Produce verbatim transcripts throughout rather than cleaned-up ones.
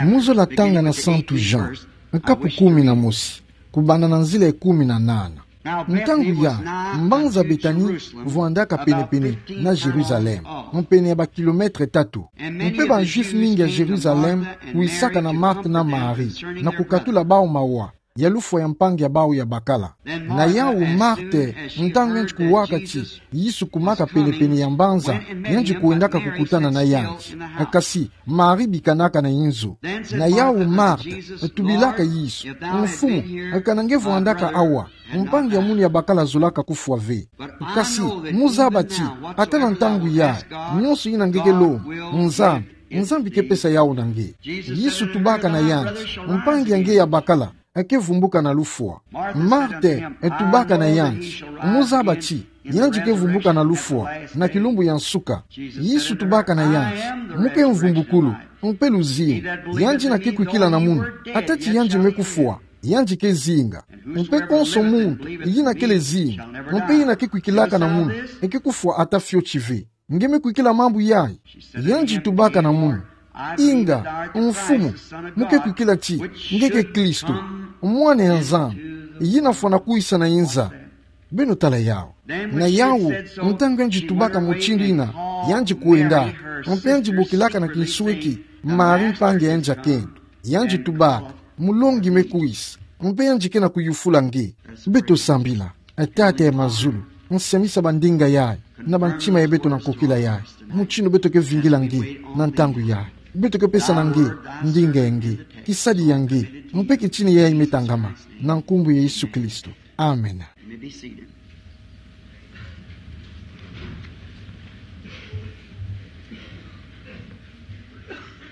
Mu zola tanga na Santu Jean, kapu kumi na mosi, kubanda na nzila ya kumi na nana. Ntangu ya, mbanza Betani vwandaka penepene na Jérusalem, mpene ya ba kilomètre tatu. Mpe ba Juifs mingi ya Jérusalem kwisaka na Marthe na Marie, na kukatula bawu mawa ya lufwa ya mpangi ya bawu ya bakala. Na yawu Marthe, ntangu yandi kuwaka ti Yesu kumaka penepene ya mbanza, yandi kwendaka kukutana na yandi. Kasi Marie bikanaka na inzo. Na yawu Marthe tubilaka Yesu: Mfumu, kana nge vwandaka awa, mpangi ya munu ya bakala zolaka kufwa ve. Kasi mu zaba ti, ata na ntangu yayi, nyonso yina nge ke lomba, Nzambi, Nzambi ke pesa yawu na nge. Yesu tubaka na yandi: Mpangi ya nge ya bakala ke vumbuka na lufwa. Marthe tubaka na yandi: Mu zaba ti, yandi ke vumbuka na lufwa na kilumbu ya nsuka. Yesu tubaka na yandi: Mu ke mvumbukulu, mpe luzingu. Yandi yina ke kwikila na munu, ata ti yandi me kufwa, yandi ke zinga. Mpe konso muntu yina kele zingu, mpe yina ke kwikilaka na munu, ke kufwa ata fioti ve. Nge me kwikila mambu yayi? Yandi tubaka na munu: Inga, Mfumu, mu ke kwikila ti nge ke Kristo, Mwana ya Nzambi, yina fwana kwisa na inza. Beno tala yawu. Na yawu, ntangu yandi tubaka mutindu yina, yandi kwendaka, mpe yandi bokilaka na kinsweki Marie, mpangi ya yandi ya kento. Yandi tubaka: Mulongi me kwisa, mpe yandi ke na kuyufula nge. Beto sambila. E Tata ya mazulu, nsiamisa bandinga yayi na bantima ya beto na nkokila yayi, mutindu beto ke vingila nge na ntangu yayi. Beto ke pesa na nge ndinga ya nge, kisadi ya nge, mpe kitina yayi me tangama, na nkumbu ya Yesu Kristo. Amen. You may be seated.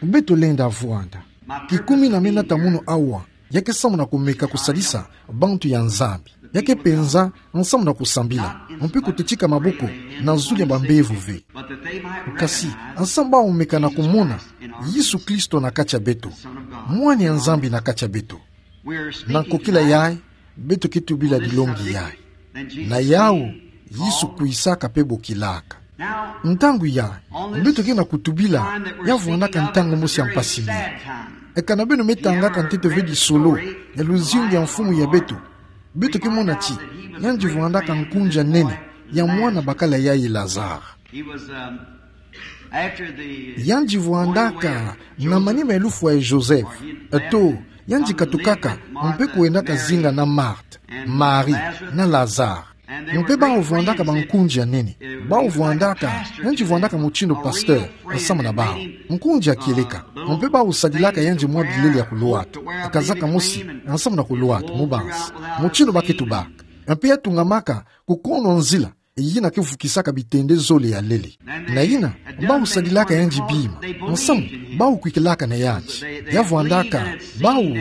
Beto lenda vwanda. Kikumi na me nata mono awa, ya ke samu na kumeka kusalisa bantu ya Nzambi. Ya ke penza nsamu na kusambila, mpe kutitika maboko na zulu ya bambevo ve. Kasi nsamu bawu meka na kumona Yesu Kristo na kati ya beto, Mwana ya Nzambi na kati ya beto. Na nkokila yayi, beto ke tubila dilongi yayi. Na yawu, Yesu kwisaka mpe bokilaka. Ntangu yayi, beto ke na kutubila ya vwandaka ntangu mosi ya mpasi mingi. E kana beno me tangaka ntete ve lisolo ya luzingu ya Mfumu ya beto, beto ke mona ti yandi vwandaka nkunzi ya nene ya mwana bakala yayi Lazare. He was, um, after the Yandi vwandaka na manima ya lufwa ya Joseph. To, yandi katukaka mpe kwendaka zinga na Marthe, Marie, na Lazare. Mpe bawu vwandaka bankunzi ya nene. Bawu vwandaka, yandi vwandaka mutindu pasteur, nsamu na bawu. Nkunzi ya kieleka. Mpe bawu sadilaka yandi mwa bilele ya kulwata, kazaka mosi, nsamu na kulwata, mu bansi. Mutindu ba ke tubaka. Mpe ya tungamaka ku kono nzila yina ke vukisaka bitende zole ya lele. Na yina, bawu sadilaka yandi bima, nsamu, bawu kwikilaka na yandi. Ya vwandaka bawu,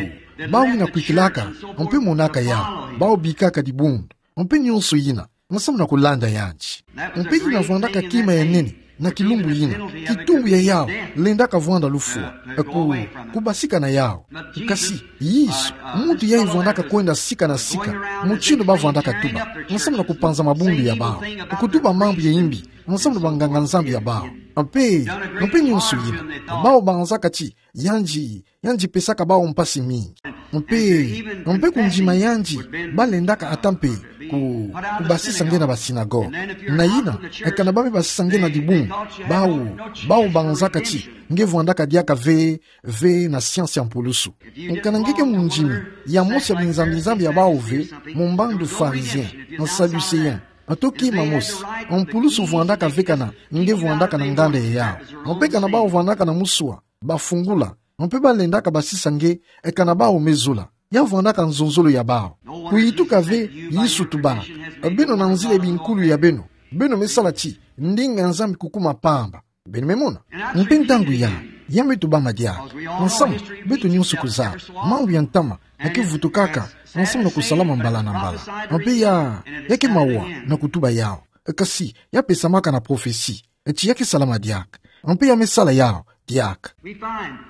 bawu yina kwikilaka, mpe monaka yawu, bawu bikaka dibundu, mpe nyonso yina, nsamu na kulanda yandi. Mpe yina vwandaka kima ya nene na kilumbu yina, kitumbu ya yawu lendaka vwanda lufwa, ku, kubasika na yawu. Kasi Yesu, muntu yayi vwandaka kwenda sika na sika, mutindu ba vwandaka tuba, nsamu na kupanza mabundu ya bawu, kutuba mambu ya imbi nsamu na banganga-Nzambi ya bawu. Mpe, mpe nyonso yina, bawu banzaka ti yandi, yandi pesaka bawu mpasi mingi. Mpe, mpe kundima yandi, ba lendaka ata mpe ku, kubasisa nge na basinagogue. Na yina, e kana ba me basisa nge na dibundu, bawu, bawu banzaka ti nge vwandaka diaka ve, ve na siansi ya mpulusu. Kana nge ke mundimi ya mosi ya binzambi-nzambi ya bawu ve, mumbandu Pharisiens, Sadducéens, to kima mosi, mpulusu vwandaka ve kana nge vwandaka na nganda ya yawu. Mpe kana bawu vwandaka na musua, bafungula, mpe ba lendaka basisa nge, e kana bawu me zola. Ya vwandaka nzonzolo ya bawu. Kuyituka ve, Yesu tubaka: Beno na nzila ya binkulu ya beno, beno me sala ti ndinga ya Nzambi kukuma pamba. Beno me mona. Mpe ntangu yayi, ya me tubama diaka. Nsamu, beto nyonso kuzaba mambu ya ntama ya ke vutukaka nsamu na kusalama mbala na mbala. Mpe ya, ya ke mawa na kutuba yawu. Kasi ya pesamaka na prophetie ti ya ke salama diaka. Mpe ya me sala yawu diaka.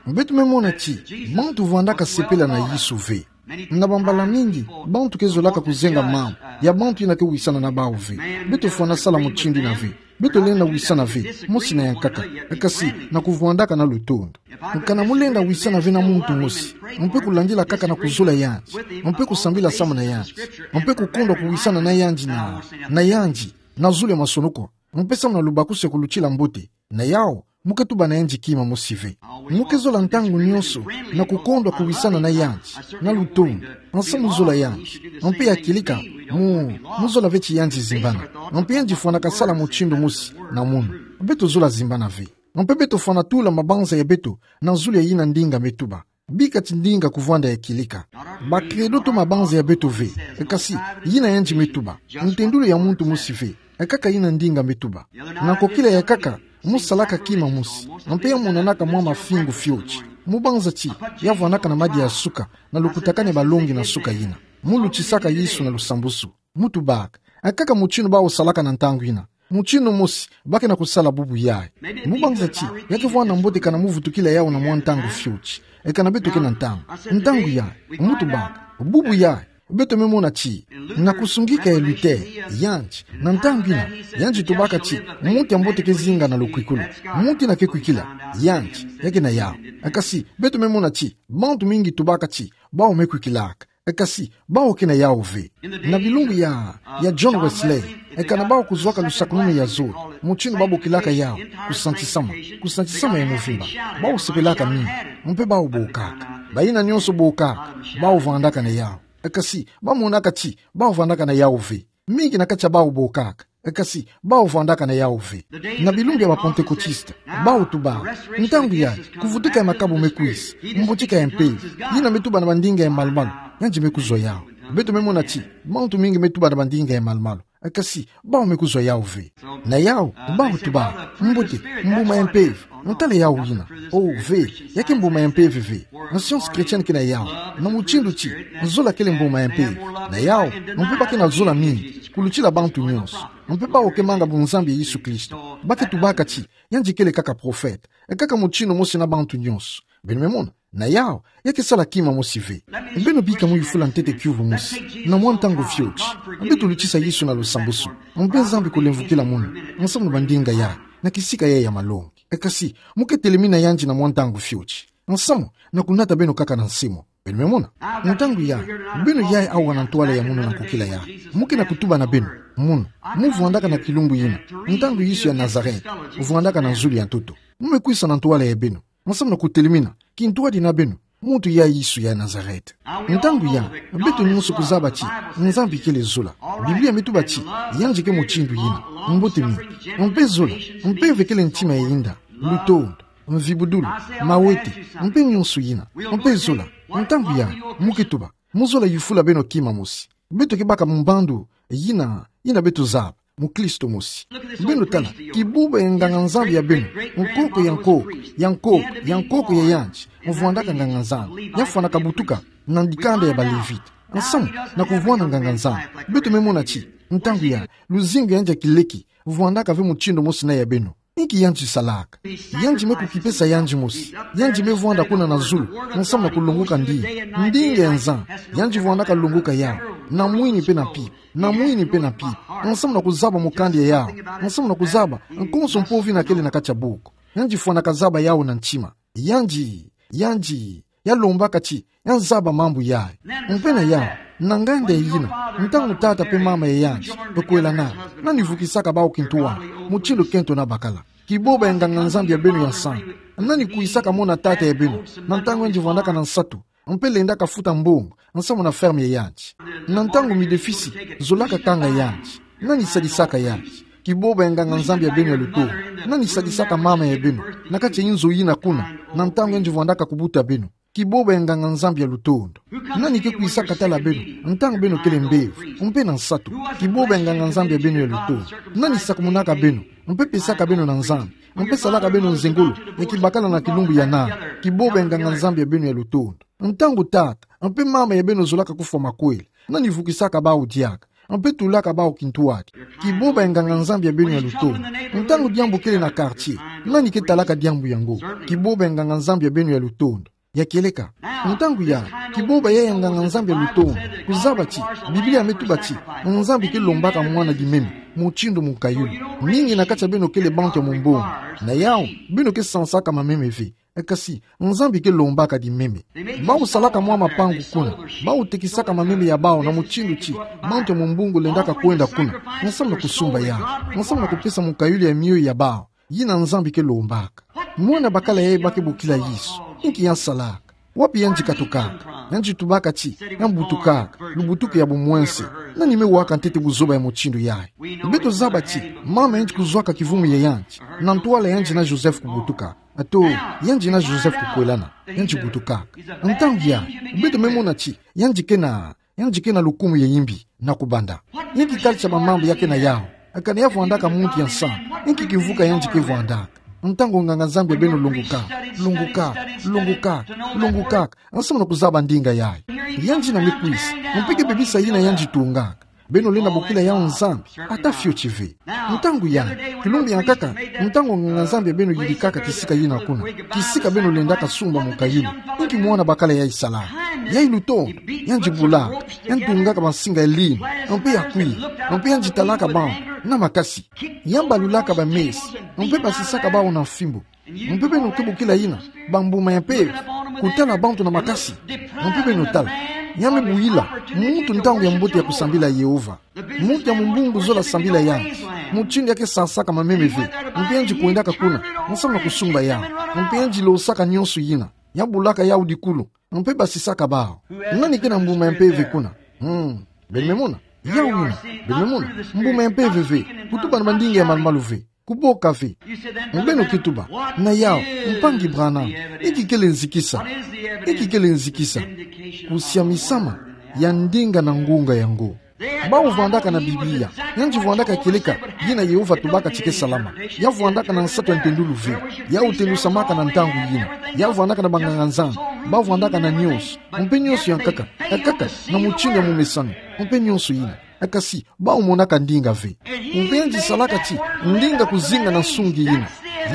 Beto me mona ti bantu vwandaka sepela na Yesu ve. Na bambala mingi, bantu ke zolaka kuzenga mambu ya bantu yina ke wisana na bawu ve. Beto fwana sala mutindu yina ve. Beto lenda wisana ve, mosi na yankaka, kasi na kuvwandaka na lutondo. Kana mulenda wisana ve na muntu mosi, mpe kulandila kaka na kuzola yandi, mpe kusambila samu na yandi, mpe kukondwa kuwisana na yandi na, na yandi, na zulu ya masonoko, mpe samu na lubakusi ya kulutila mbote, na yawu, muke tuba na yandi kima mosi ve. Muke zola ntangu nyonso na kukondwa kuwisana na yandi, na lutondo, nsamu zola yandi, mpe ya kilika, mu, muzola ve ti yandi zimbana, mpe yandi fwanaka sala mutindu mosi na munu. Beto zola zimbana ve. Mpe beto fwana tula mabanza ya beto na zulu ya yina ndinga me tuba. Bika ti ndinga kuvwanda ya kilika. Ba credo to mabanza ya beto ve. Kasi, yina yandi me tuba. Ntendulu ya muntu mosi ve. Kaka yina ndinga me tuba. Na kokila ya nkaka, musalaka kima mosi. Mpe ya monanaka mwa mafingu fioti. Mubanza ti, ya vwanaka na madia ya suka, na lukutakanu ya balongi na suka yina. Mulutisaka Yesu na lusambusu. Mu tubaka. Kaka mutindu bawu salaka na ntangu yina. Mutindu mosi, ba ke na kusala bubu yayi. Mubanza ti, ya ke vwanda mbote kana muvutukila yawu na mwa ntangu fioti. Kana beto ke na ntangu. Ntangu yayi, mu tubaka. Bubu yayi, beto me mona ti. Na kusungika ya Luther, yandi, na ntangu yina, yandi tubaka ti, muntu ya mbote ke zinga na lukwikulu. Muntu yina ke kwikila, yandi, ya ke na yawu. Kasi, beto me mona ti, bantu mingi tubaka ti, bawu me kwikilaka. Kasi, bawu ke na yawu ve. Na bilumbu ya, ya John Wesley, kana bawu kuzwaka lusakumunu ya zole, mutindu babokilaka yawu, kusantisama, kusantisama ya muvimba. Bawu sepelaka mingi, mpe bawu bokaka. Bayina nyonso bokaka, bawu vwandaka na yawu. Kasi, bamonaka ti, bawu vwandaka na yawu ve. Mingi na kati ya bawu bokaka. Kasi, bawu vwandaka na yawu ve. Na bilumbu ya ba Pentekotiste, bawu tubaka. Ntangu yayi, kuvutuka ya makabu me kwisa. Mbutika ya mpeve. Yina me tuba na bandinga ya malumalu. Yandi me kuzwa yawu. Beto me mona ti, bantu mingi me tuba na bandinga ya malumalu. Kasi, bawu me kuzwa yawu ve. Na yawu, bawu tubaka. Mbote, mbuma ya mpeve. Ntala yawu yina. O, ve, ya ke mbuma ya mpeve ve. Na science chrétienne ke na yawu. Na mutindu ti, zola kele mbuma ya mpeve. Na yawu, mpe ba ke na zola mingi, kulutila bantu nyonso. Mpe bawu kemanga bunzambi ya Yesu Kristo. Ba ke tubaka ti, yandi kele kaka profeta. Kaka mutindu mosi na bantu nyonso. Beno me mona. Na yawu, ya ke sala kima mosi ve. Beno bika muyufula ntete kiuvu mosi. Na mwa ntangu fioti. Beto lutisa Yesu na lusambusu. Mpe Nzambi kulemvukila munu. Nsamu na bandinga yayi. Na kisika yayi ya malongi. Kasi, muke telemina yandi na mwa ntangu fioti. Nsamu, na kunata beno kaka na nsimu. Beno me mona. Ntangu yayi, beno yayi awa na ntwala ya munu na kokila yayi. Muke na kutuba na beno. Munu. Mu vwandaka na kilumbu yina. Ntangu Yesu ya Nazareth. Vwandaka na zulu ya ntoto. Mu me kwisa na ntwala ya beno. Nsamu na kutelemina, kintwadi na beno, muntu ya Yesu ya Nazareth. Ntangu yayi, beto nyonso kuzaba ti, Nzambi kele zola. Biblia me tuba ti, yandi ke mutindu yina, mbote mingi. Mpe zola, mpeve kele ntima ya inda, lutondo, mvibudulu, mawete, mpe nyonso yina, mpe zola. Ntangu yayi, muke tuba, muzola yufula beno kima mosi. Beto ke baka mu mbandu, yina, yina beto zaba, mu Kristo mosi. Beno tala, kibuba ya nganga-Nzambi ya beno, nkoko ya nkoko, ya nkoko, ya nkoko ya yandi, mvwandaka nganga-Nzambi, ya fwanaka butuka, na dikanda ya ba Levite. Nsamu, na kuvwanda nganga-Nzambi. Beto me mona ti, ntangu yayi, luzingu ya yandi ya kileke, vwandaka ve mutindu mosi na ya beno. Inki yandi salaka? Yandi me kukipesa yandi mosi. Yandi me vwanda kuna na zulu, nsamu na kulongoka ndinga. Ndinga ya Nzambi, yandi vwandaka longoka yawu. Na mwini mpe na mpimpa. Na mwini mpe na mpimpa. Nsamu na kuzaba mukanda ya yawu. Nsamu na kuzaba, nkonso mpovi yina kele na kati ya buku. Yandi fwanaka zaba yawu na ntima. Yandi, yandi, ya lombaka ti, ya zaba mambu yayi. Mpe na yawu, na nganda yina, ntangu tata mpe mama ya yandi, bakwelana, nani vukisaka bawu kintwadi, mutindu kento na bakala. Kibuba ya nganga-Nzambi ya beno ya nsangu. Nani kwisaka mona tata ya beno, na ntangu yandi vwandaka na nsatu, mpe lendaka futa mbongo, nsamu na ferme ya yandi. Na ntangu midefisi, zolaka kanga yandi. Nani sadisaka yandi? Kibuba ya nganga-Nzambi ya beno ya lutondo. Nani sadisaka mama ya beno, na kati ya inzo yina kuna, na ntangu yandi vwandaka kubuta beno? Kibuba ya nganga-Nzambi ya lutondo. Nani ke kwisaka tala beno, ntangu beno kele mbevo, mpe na nsatu? Kibuba ya nganga-Nzambi ya beno ya lutondo. Nani sakumunaka beno, mpe pesaka beno na Nzambi, mpe salaka beno nzengolo, ya kibakala na kilumbu ya nana? Kibuba ya nganga-Nzambi ya beno ya lutondo. Ntangu tata, mpe mama ya beno zolaka kufwa makwela, nani vukisaka bawu diaka, mpe tulaka bawu kintwadi? Kibuba ya nganga-Nzambi ya beno ya lutondo. Ntangu diambu kele na quartier, nani ke talaka diambu yango? Kibuba ya nganga-Nzambi ya beno ya lutondo. Ya kieleka. Ntangu ya, kibomba ya ya nganga-nzambi ya lutongo, kuzaba ti, Biblia me tuba ti, Nzambi ke lombaka mwana di meme, mutindu mukayulu. Mingi na kati ya beno kele bantu ya mumbongo. Na yawu, beno ke sansaka mameme ve. Kasi, Nzambi ke lombaka di meme. Bawu salaka mwa mapangu kuna. Bawu tekisaka mameme ya bawu na mutindu ti bantu ya mumbongo lendaka kwenda kuna, nsamu na kusumba yawu, nsamu na kupesa mukayulu ya miyoyo ya bawu. Yina Nzambi ke lombaka. Mwana bakala yayi ba ke bokila Yesu. Inki ya salaka? Wapi yandi katokaka? Yandi tubaka ti, ya butukaka lubutuku ya bumwense. Nani me waka ntete buzoba ya mutindu yayi? Beto zaba ti, mama yandi kuzwaka kivumu ya yandi. Na ntwala yandi na Joseph kubutuka. Ato, yandi na Joseph kukwelana. Yandi butukaka. Ntangu yayi, beto me mona ti, yandi kena, yandi kena lukumu ya yimbi na kubanda. Inki kali tia bamambu ya kena yawu? Akana ya vwandaka muntu ya nsamu. Inki kivuka yandi ke vwandaka? Ntangu nganga-nzambi ya beno longokaka, longokaka, longokaka, longokaka, nsamu na kuzaba ndinga yayi. Yandi na me kwisa, mpe ke bebisa yina yandi tungaka. Beno lenda bokila yawu nzambi, ata fioti ve. Ntangu yandi, kilumbu yankaka, ntangu nganga-nzambi ya beno yidikaka kisika yina kuna, kisika beno lendaka sumba mukayulu, inki mwana bakala yayi salaka? Yayi lutongo, yandi bulaka, yandi tungaka bansinga ya lino, mpe ya kwila, mpe yandi talaka bawu na makasi. Ya balulaka bamesi, mpe basisaka bawu na mfimbo. Mpe beno ke bokila yina, bambuma ya mpeve, kutala bantu na makasi. Mpe beno tala, ya me buyila muntu ntangu ya mbote ya kusambila Yehova. Muntu ya mumbongo zola sambila yandi. Mutindu ya ke sansaka mameme ve. Mpe yandi kwendaka kuna, nsamu na kusumba yawu. Mpe yandi losaka nionso yina. Ya bulaka yawu dikulu. Mpe basisaka bawu. Nani kena mbuma ya mpeve kuna? Hmm. Beno me mona. Yawu yina. Beno me mona. Mbuma ya mpeve ve. Kutuba na mandinga ya malumalu ve. Kuboka ve. Beno ke tuba, na yawu, mpangi Branham, inki kele nzikisa? Inki kele nzikisa? Kusiamisama ya ndinga na ngunga yango. Bawu vwandaka na Biblia. Yandi vwandaka kieleka yina Yehova tubaka ti ke salama. Ya vwandaka na nsatu ya ntendulu ve. Yawu tendusamaka na ntangu yina. Ya vwandaka na banganga-nzambi. Bawu vwandaka na nionso. Mpe nionso yankaka. Yankaka, na mutindu ya momesano. Mpe nionso yina. Kasi, bawu monaka ndinga ve. Mpe yandi salaka ti, ndinga kuzinga na nsungi yina.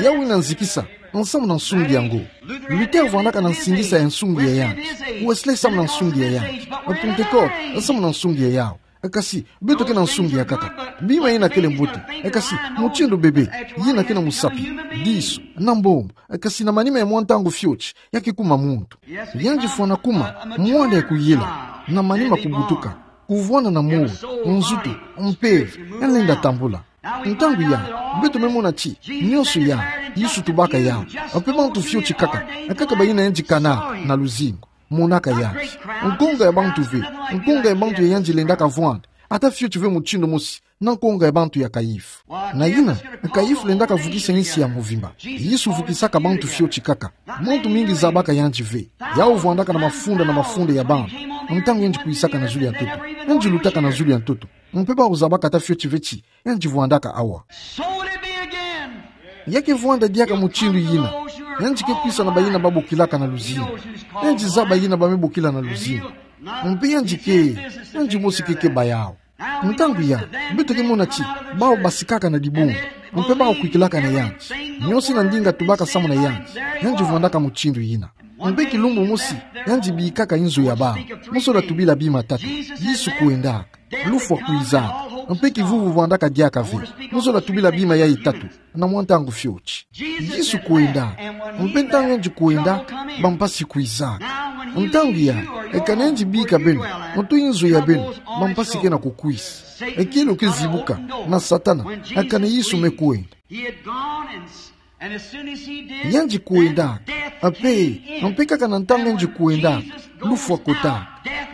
Yawu yina nzikisa, nsamu na nsungi yango. Luther vwandaka na nsingisa ya nsungi ya yandi. Wesley samu na nsungi ya yandi. Pentecote, samu na nsungi ya yawu. Kasi, beto ke na nsungi yankaka. Bima yina kele mbote. Kasi, mutindu bebe, yina ke na musapi, disu, na mbombo. Kasi na manima ya mwa ntangu fioti, ya ke kuma muntu. Yandi fwana kuma, mwana ya kuyela, na manima kubutuka, kuvwana na moyo, nzutu, mpeve, ya lenda tambula. Ntangu ya, beto me mona ti, nionso ya, Yesu tubaka yawu, mpe bantu fioti kaka, kaka bayina yandi kana, na luzingu. Monaka yandi. Nkonga ya bantu ve. Nkonga ya bantu ya yandi lendaka vwanda. Ata fioti ve mutindu mosi na nkonga ya bantu ya Kayifu. Na yina, Kayifu lendaka vukisa insi ya mvimba. Yesu vukisaka bantu fioti kaka. Bantu mingi zabaka yandi ve. Yawu vwandaka na mafunda na mafunda ya bantu. Ntangu yandi kwisaka na zulu ya ntoto. Yandi lutaka na zulu ya ntoto. Mpe bawu zabaka ata fioti ve ti yandi vwandaka awa. So will it be again. Ya ke vwanda diaka mutindu yina. Yandi ke kwisa na bayina ba bokilaka na luzingu. Yandi zaba yina ba me bokila na luzingu. Mpe yandi ke, yandi mosi ke keba yawu. Ntangu ya, beto ke mona ti, bawu basikaka na dibundu. Mpe bawu kwikilaka na yandi. Nionso na ndinga tubaka samu na yandi. Yandi vwandaka mutindu yina. Mpe kilumbu mosi, yandi bikaka inzo ya bawu. Musola tubila bima tatu. Yesu kwendaka. Lufwa kwizaka. Mpe kivuvu vwandaka diaka ve. Musola tubila bima yayi tatu. Na mwa ntangu fioti. Yesu kwendaka. Mpe ntangu yandi kwendaka, bampasi kwizaka. Ntangu ya, akana yandi bika beno, nto inzo ya beno, bampasi ke na kukwisa. Kielo ke zibuka, na Satana, akana Yesu me kwenda. He had gone and s-, and as soon as he did, yandi kwenda, then death came in. Mpe kaka na ntangu yandi kwenda, lufwa kotaka.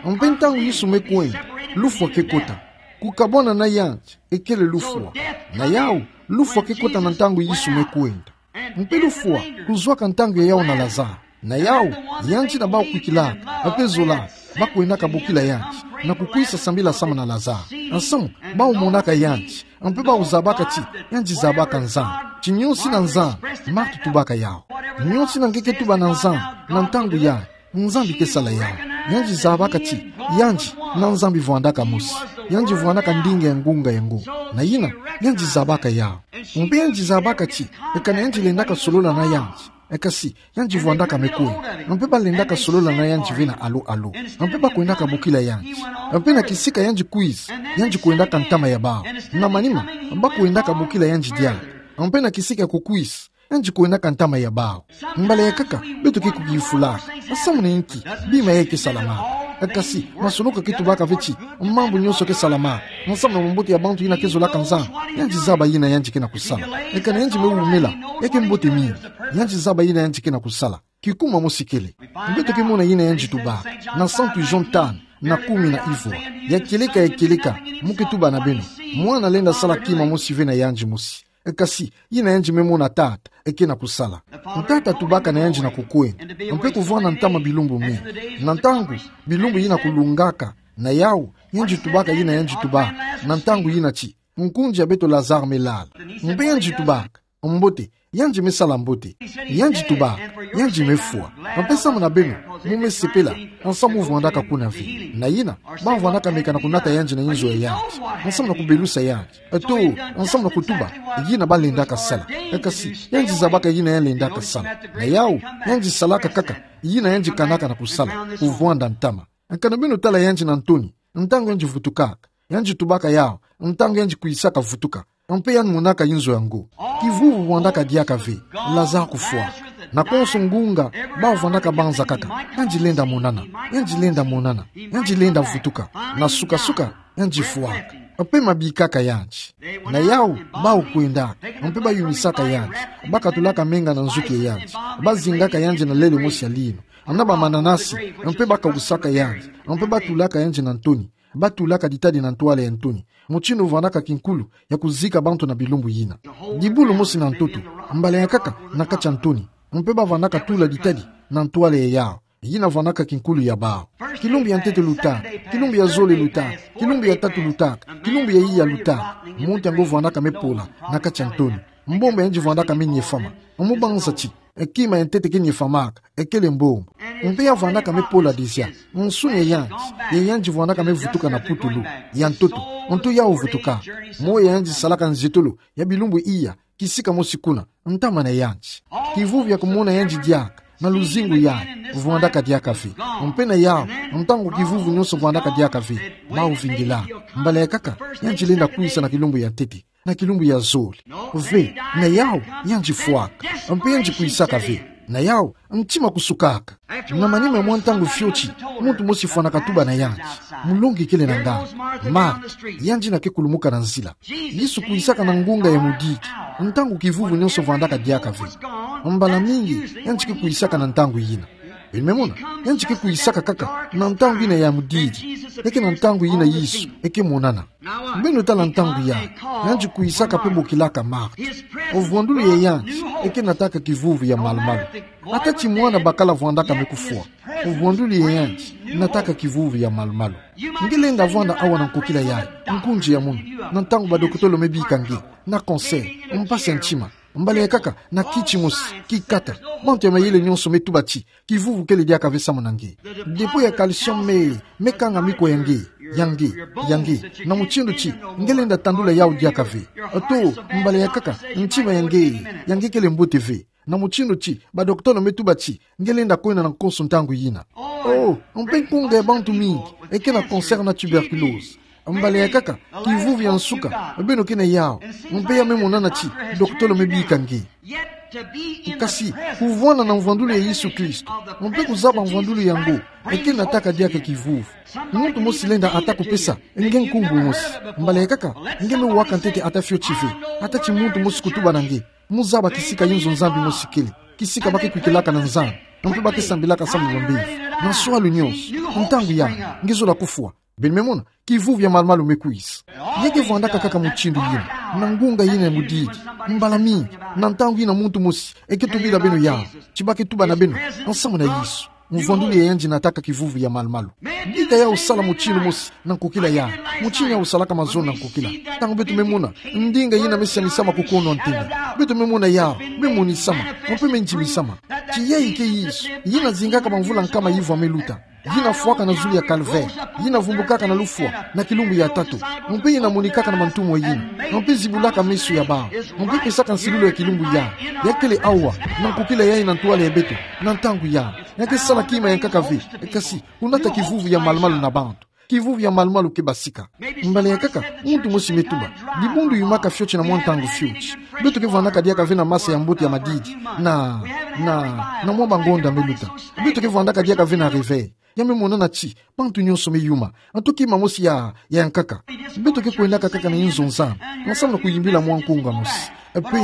Mpe ntangu Yesu me kwenda, lufwa ke kota. Kukabwana na yandi, ekele lufwa. Na yawu, lufwa ke kota na ntangu Yesu me kwenda. Mpe lufwa, luzwaka ntangu ya yawu na Lazare. Na yawu, yandi na bawu kwikilaka, mpe zola, ba kwendaka bokila yandi, na kukwisa sambila samu na Lazare. Nsamu, bawu monaka yandi, mpe bawu zabaka ti, yandi zabaka Nzambi. Ti nionso na Nzambi, Mark tubaka yawu. Nionso na nge ke tuba na Nzambi, na ntangu yayi, Nzambi ke sala yawu. Yandi zabaka ti, yandi, na Nzambi vwandaka mosi. Yandi vwandaka ndinga ya ngunga yango. Na yina, yandi zabaka yawu. Mpe yandi zabaka ti, akana yandi lendaka solola na yandi, Kasi, yandi vwandaka me kwe. Mpe balendaka solola na yandi ve na alo-alo. Mpe bakwendaka bokila yandi. Mpe na kisika yandi kwizi, yandi kwendaka ntama ya bawu. Na manima, bakwendaka bokila yandi diaka. Mpe na kisika kukwizi, yandi kwendaka ntama ya bawu. Mbala ya nkaka, beto ke kukifula. Nsamu na inki, bima ya ke salama. Kasi, masoloka ke tubaka ve ti, mambu nyonso ke salama. Nsamu na mambote ya bantu yina ke zolaka Nzambi, yandi zaba yina yandi ke na kusala. Kana yandi me wumela, ya ke mbote mingi. Yandi zaba yina yandi ke na kusala. Kikuma mosi kele. Beto ke mona yina yandi tubaka. Na Santu Jean tanu, na kumi na ivwa. Ya kieleka, ya kieleka, mu ke tuba na beno. Mwana lenda sala kima mosi ve na yandi mosi. Kasi, yina yandi me mona tata, ke na kusala. Tata tubaka na yandi na kukwenda. Mpe kuvwanda ntama bilumbu mingi. Na ntangu, bilumbu yina kulungaka. Na yawu, yandi tubaka yina yandi tubaka. Na ntangu yina ti, nkunzi ya beto Lazare me lala. Mpe yandi tubaka. Mbote, yandi me sala mbote. Yandi tubaka, yandi me fwa. Mpe samu na beno, mu me sepela, nsamu vwandaka kuna ve. Na yina, ba vwandaka meka na kunata yandi na inzo ya yandi. Nsamu na kubelusa yandi. To, nsamu na kutuba, yina balendaka sala. Kasi, yandi zabaka yina yandi lendaka sala. Na yawu, yandi salaka kaka, yina yandi kanaka na kusala, kuvwanda ntama. Kana beno tala yandi na ntoni, ntangu yandi vutukaka. Yandi tubaka yawu, ntangu yandi kwisaka vutuka. Mpe yandi monaka inzo yango. Kivuvu vwandaka diaka ve, Lazare kufwa. Na konso ngunga, ba vwandaka banza kaka. Yandi lenda monana, yandi lenda monana, yandi lenda vutuka. Na suka-suka, yandi fwaka. Mpe mabikaka yandi. Na yawu, bawu kwendaka, mpe bayumisaka yandi. Bakatulaka menga na nzuki ya yandi. Bazingaka yandi na lele mosi ya lino. Na bamananasi, mpe bakawusaka yandi. Mpe batulaka yandi na ntoni. Batulaka ditadi na ntwala ya ntoni. Mutindu vwandaka kinkulu ya kuzika bantu na bilumbu yina. Dibulu mosi na ntoto, mbala ya nkaka na kati ya ntoni. Mpe ba vwandaka tula ditadi na ntwala ya yawu. Yina vwandaka kinkulu ya bawu. Kilumbu ya ntete lutaka, kilumbu ya zole lutaka, kilumbu ya tatu lutaka, kilumbu ya iya lutaka. Muntu yango vwandaka me pola na kati ya ntoni. Mbombo yandi vwandaka me nyefama. Mu banza ti, kima ya ntete ke nyefamaka, kele mbombo. Mpe ya vwandaka me pola dezia. Nsuni ya yandi, ya yandi vwandaka me vutuka na putulu ya ntoto. Nto yawu vutuka. Moyo ya yandi salaka nzietolo ya bilumbu iya, kisika mosi kuna, ntama na yandi. Kivuvu ya kumona yandi diaka, na luzingu yandi, vwandaka diaka ve. Mpe na yawu, ntangu kivuvu nyonso vwandaka diaka ve, bawu vingila. Mbala ya nkaka, yandi lenda kwisa na kilumbu ya ntete, na kilumbu ya zole. Ve, na yawu, yandi fwaka. Mpe yandi kwisaka ve. Na yawu, ntima kusukaka. Na manima mwa ntangu fioti, muntu mosi fwanaka tuba na yandi. Mulongi kele na nganda. Marthe, yandi yina ke kulumuka na nzila. Yesu kwisaka na ngunga ya mudidi. Ntangu kivuvu nyonso vwandaka diaka ve. Mbala mingi, yandi ke kwisaka na ntangu yina. Beno me mona, yandi ke kwisaka kaka na ntangu yina ya mudidi. Ya ke na ntangu yina Yesu ke monana. Beno tala ntangu yayi, yandi kwisaka mpe bokilaka Marthe. Vwandulu ya yandi ke nataka kivuvu ya malu-malu. Ata ti mwana bakala vwandaka me kufwa, vwandulu ya yandi nataka kivuvu ya malu-malu. Nge lenda vwanda awa na nkokila yayi, nkunzi ya munu, na ntangu badokotolo me bika nge na cancer, mpasi ya ntima. Mbala ya nkaka, na kiti mosi, kikata, bantu ya mayele nyonso me tuba ti kivuvu kele diaka ve samu na nge. Dépôt ya calcium me, me kanga miko ya nge, ya nge, ya nge. Na mutindu ti nge lenda tandula yawu diaka ve. To, mbala ya nkaka, ntima ya nge, ya nge kele mbote ve. Na mutindu ti badokotolo me tuba ti nge lenda kwenda na nkonso ntangu yina. Oh, mpe nkunga ya bantu mingi ke na cancer na tuberculose. Mbala ya nkaka, kivuvu ya nsuka beno ke na yawu, mpe ya me monana ti dokotolo me bika nge. Kasi, kuvwanda na mvwandulu ya Yesu Kristo, mpe kuzaba mvwandulu yango ke nataka diaka kivuvu. Muntu mosi lenda ata kupesa nge nkumbu mosi. Mbala ya nkaka, nge me waka ntete ata fioti ve, ata ti muntu mosi kutuba na nge. Mu zaba kisika inzo Nzambi mosi kele, kisika ba ke kwikilaka na Nzambi, mpe ba ke sambilaka samu na bambevo. Na nswalu nyonso, ntangu yayi, nge zola kufwa. Beno me mona, kivuvu ya malu-malu me kwiza. Ya ke vwandaka kaka mutindu yina, na ngunga yina ya mudidi. Mbala mingi, na ntangu yina muntu mosi ke tubila beno yawu, ti ba ke tuba na beno nsamu na Yesu. Mvwandulu ya yandi nataka kivuvu ya malu-malu. Bika yawu sala mutindu mosi na nkokila yayi, mutindu yawu salaka mazono na nkokila. Ntangu beto me mona ndinga yina me siamisama ku kono ntende, beto me mona yawu me monisama, mpe me ndimisama. Ti yayi ke Yesu, yina zingaka bamvula nkama yivwa me luta. Yina fwaka na zulu ya calvaire. Yina vumbukaka na lufwa na kilumbu ya tatu. Mpe yina monikaka na mantumwa yina. Mpe zibulaka meso ya bawu. Mpe pesaka nsilulu ya kilumbu ya. Ya kele awa, na nkokila yayi na ntwala ya beto, na ntangu yayi. Ya ke sala kima ya nkaka ve, kasi kunata kivuvu ya malumalu na bantu. Kivuvu ya malumalu ke basika. Mbala ya nkaka, muntu mosi me tuba: Dibundu yumaka fioti na mwa ntangu fioti. Beto ke vandaka diaka ve na masa ya mbote ya madidi, na, na, na mwa bangonda me luta. Beto ke vandaka diaka ve na réveil. Ya me monana ti bantu nyonso me yuma. Nto kima mosi ya, ya nkaka. Beto ke kwendaka kaka na inzo Nzambi, na samu na kuyimbila mwa nkunga mosi. Mpe,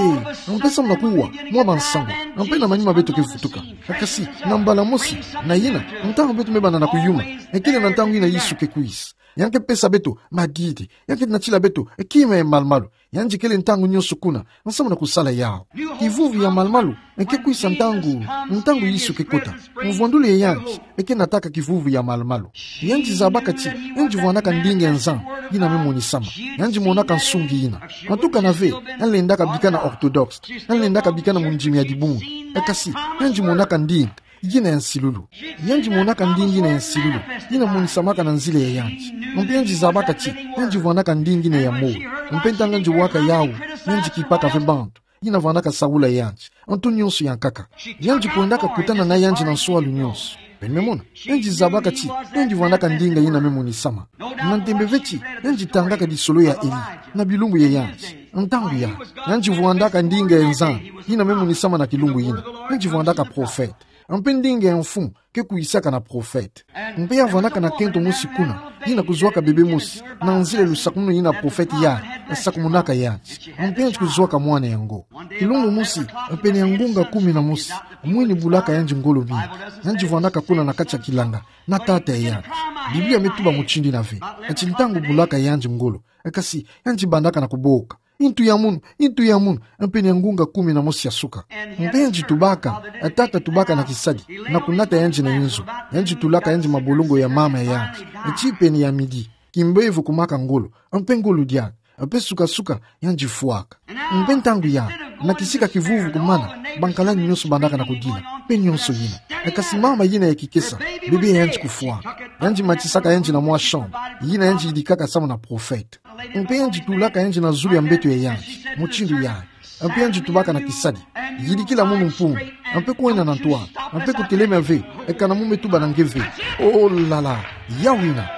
mpe samu na kuwa mwa bansangu. Mpe na manima beto ke vutuka. Kasi, na mbala mosi, na yina, ntangu beto me banda na kuyuma, e kele na ntangu yina Yesu ke kwisa. Ya ke pesa beto madidi. Ya ke natila beto kima ya malumalu. Yandi kele ntangu nyonso kuna, na samu na kusala yawu. Kivuvu ya malumalu e ke kwisa ntangu, ntangu Yesu ke kota. Mvwandulu ya yandi e ke nataka kivuvu ya malumalu. Yandi zabaka ti yandi vwandaka ndinga ya Nzambi yina me monisama. Yandi monaka nsungi yina. Nto kana ve, ya lendaka bika na orthodoxe. Ya lendaka bika na mundimi ya dibundu. E kasi, yandi monaka ndinga yina ya nsilulu. Yandi monaka ndinga yina ya nsilulu, yina monisamaka na nzila ya yandi. Mpe yandi zabaka ti yandi vwandaka ndinga yina ya moyo. Mpe ntangu yandi waka yawu, yandi kipaka ve bantu. Yina vwandaka saula yandi, nto nyonso ya nkaka. Yandi kwendaka kutana na yandi na nswalu nyonso. Beno me mona, yandi zabaka ti yandi vwandaka ndinga yina me monisama. Na ntembe ve ti yandi tangaka lisolo ya Eli na bilumbu ya yandi. Ntangu ya, yandi vwandaka ndinga ya Nzambi yina me monisama na kilumbu yina. Yandi vwandaka prophète. Mpe ndinga ya mfumu ke kwisaka na prophète. Mpe ya vwandaka na kento mosi kuna, yina kuzwaka bebe mosi, na nzila ya lusakumunu yina prophète ya, ya sakumunaka yandi. Mpe yandi kuzwaka mwana yango. Kilumbu mosi, pene ya ngunga kumi na mosi, mwini bulaka yandi ngolo mingi. Yandi vwandaka kuna na kati ya kilanga na tata ya yandi. Biblia me tuba mutindu yina ve, ati ntangu bulaka yandi ngolo, e kasi yandi bandaka na kuboka: Ntu ya munu, ntu ya munu, pene ya ngunga kumi na mosi ya suka. Mpe yandi tubaka, e tata tubaka na kisadi, na kunata yandi na inzo. Yandi tulaka yandi mabolongo ya mama ya yandi, ti pene ya midi, kimbevo kumaka ngolo, mpe ngolo diaka, mpe suka-suka yandi fwaka. Mpe ntangu ya, na kisika kivuvu kumana, bankalani nyonso bandaka na kudila, mpe nyonso yina. E kasi mama yina ya kikesa, bebe ya yandi kufwaka. Yandi matisaka yandi na mwa chambre, yina yandi yidikaka samu na prophète. Mpe yandi tulaka yandi na zulu ya mbeto ya yandi, mutindu ya. Mpe yandi tubaka na kisadi: Yidikila munu mpungu, mpe kwenda na ntwala, mpe kutelema ve, e kana mu me tuba na nge ve. Oh là là, yawu yina.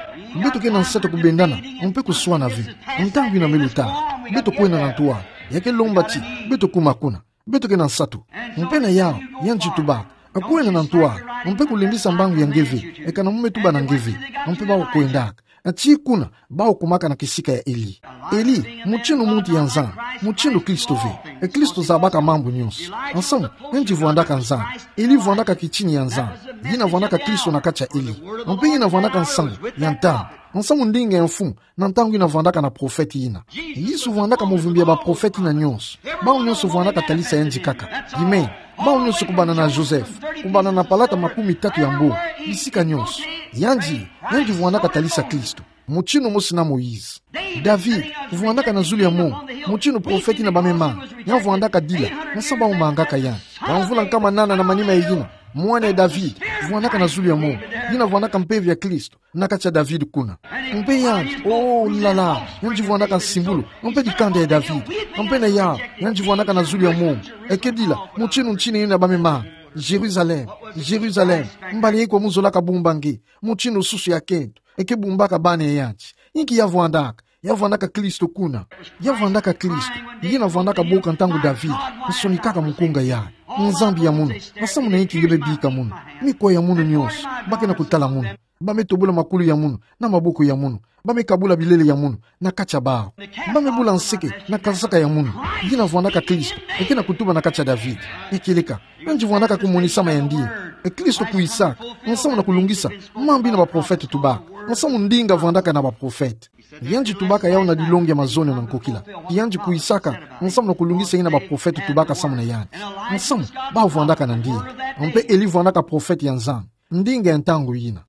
Beto ke na nsatu kubendana, mpe kuswana ve. Ntangu yina me luta, beto kwenda na ntwala. Ya ke lomba ti beto kuma kuna. Beto ke na nsatu. Mpe na yawu, yandi tubaka: Kwenda na ntwala, mpe kulimbisa mbangu ya nge ve, e kana mu me tuba na nge ve. Mpe bawu kwendaka. Ti kuna, bawu kumaka na kisika ya Eli. Eli, mutindu muntu ya Nzambi, mutindu Kristo ve. E Kristo zabaka mambu nyonso. Nsamu, yandi vwandaka Nzambi. Eli vwandaka kitini ya Nzambi. Yina vwandaka Kristo na kati ya Eli. Mpe yina vwandaka nsangu ya ntangu. Nsamu ndinga ya mfumu, na ntangu yina vwandaka na prophète yina. Yesu vwandaka muvimbi ya ba prophète yina nyonso. Bawu nyonso vwandaka talisa yandi kaka. Amen. Bawu nyonso kubanda na Joseph, kubanda na palata makumi tatu ya mbongo, bisika nyonso. Yandi, yandi vwandaka talisa Kristo. Mutindu mosi na Moïse. David, vwandaka na zulu ya mongo, mutindu prophète yina ba me manga. Ya vwandaka dila, na sa bawu mangaka yandi. Ba mvula nkama nana na manima ya yina, mwana ya David, vwandaka na zulu ya mongo. Yina vwandaka mpeve ya Kristo na kati ya David kuna. Mpe yandi, oh là là, yandi vwandaka nsimbulu, mpe dikanda ya David. Mpe na yawu, yandi vwandaka na zulu ya mongo. E ke dila, mutindu ntina yina ba me manga: Jérusalem, Jérusalem, mbala inkwa mu zolaka bumba nge, mutindu nsusu ya kento e ke bumbaka bana ya yandi. Inki ya vwandaka? Ya vwandaka Kristo kuna. Ya vwandaka Kristo. Yina vwandaka boka ntangu David asonikaka mukunga yayi: Nzambi ya munu, nsamu na inki nge me bika munu? Mikwa ya munu nyonso, ba ke na kutala munu. Ba me tobola makulu ya munu, na maboko ya munu. Ba me kabula bilele ya munu na kati ya bawu. Ba me bula nseke na kazaka ya munu. Yina vwandaka Kristo e ke na kutuba na kati ya David. E kieleka, yandi vwandaka kumonisama ya ndinga. E Kristo kwisaka, nsamu na kulungisa mambu yina ba prophète tubaka. Nsamu ndinga vwandaka na ba prophète. Yandi tubaka yawu na dilongi ya mazono na nkokila. Yandi kwisaka, nsamu na kulungisa yina ba prophète tubaka samu na yandi. Nsamu, bawu vwandaka na ndinga. Mpe Eli vwandaka prophète ya Nzambi. Ndinga ya ntangu yina.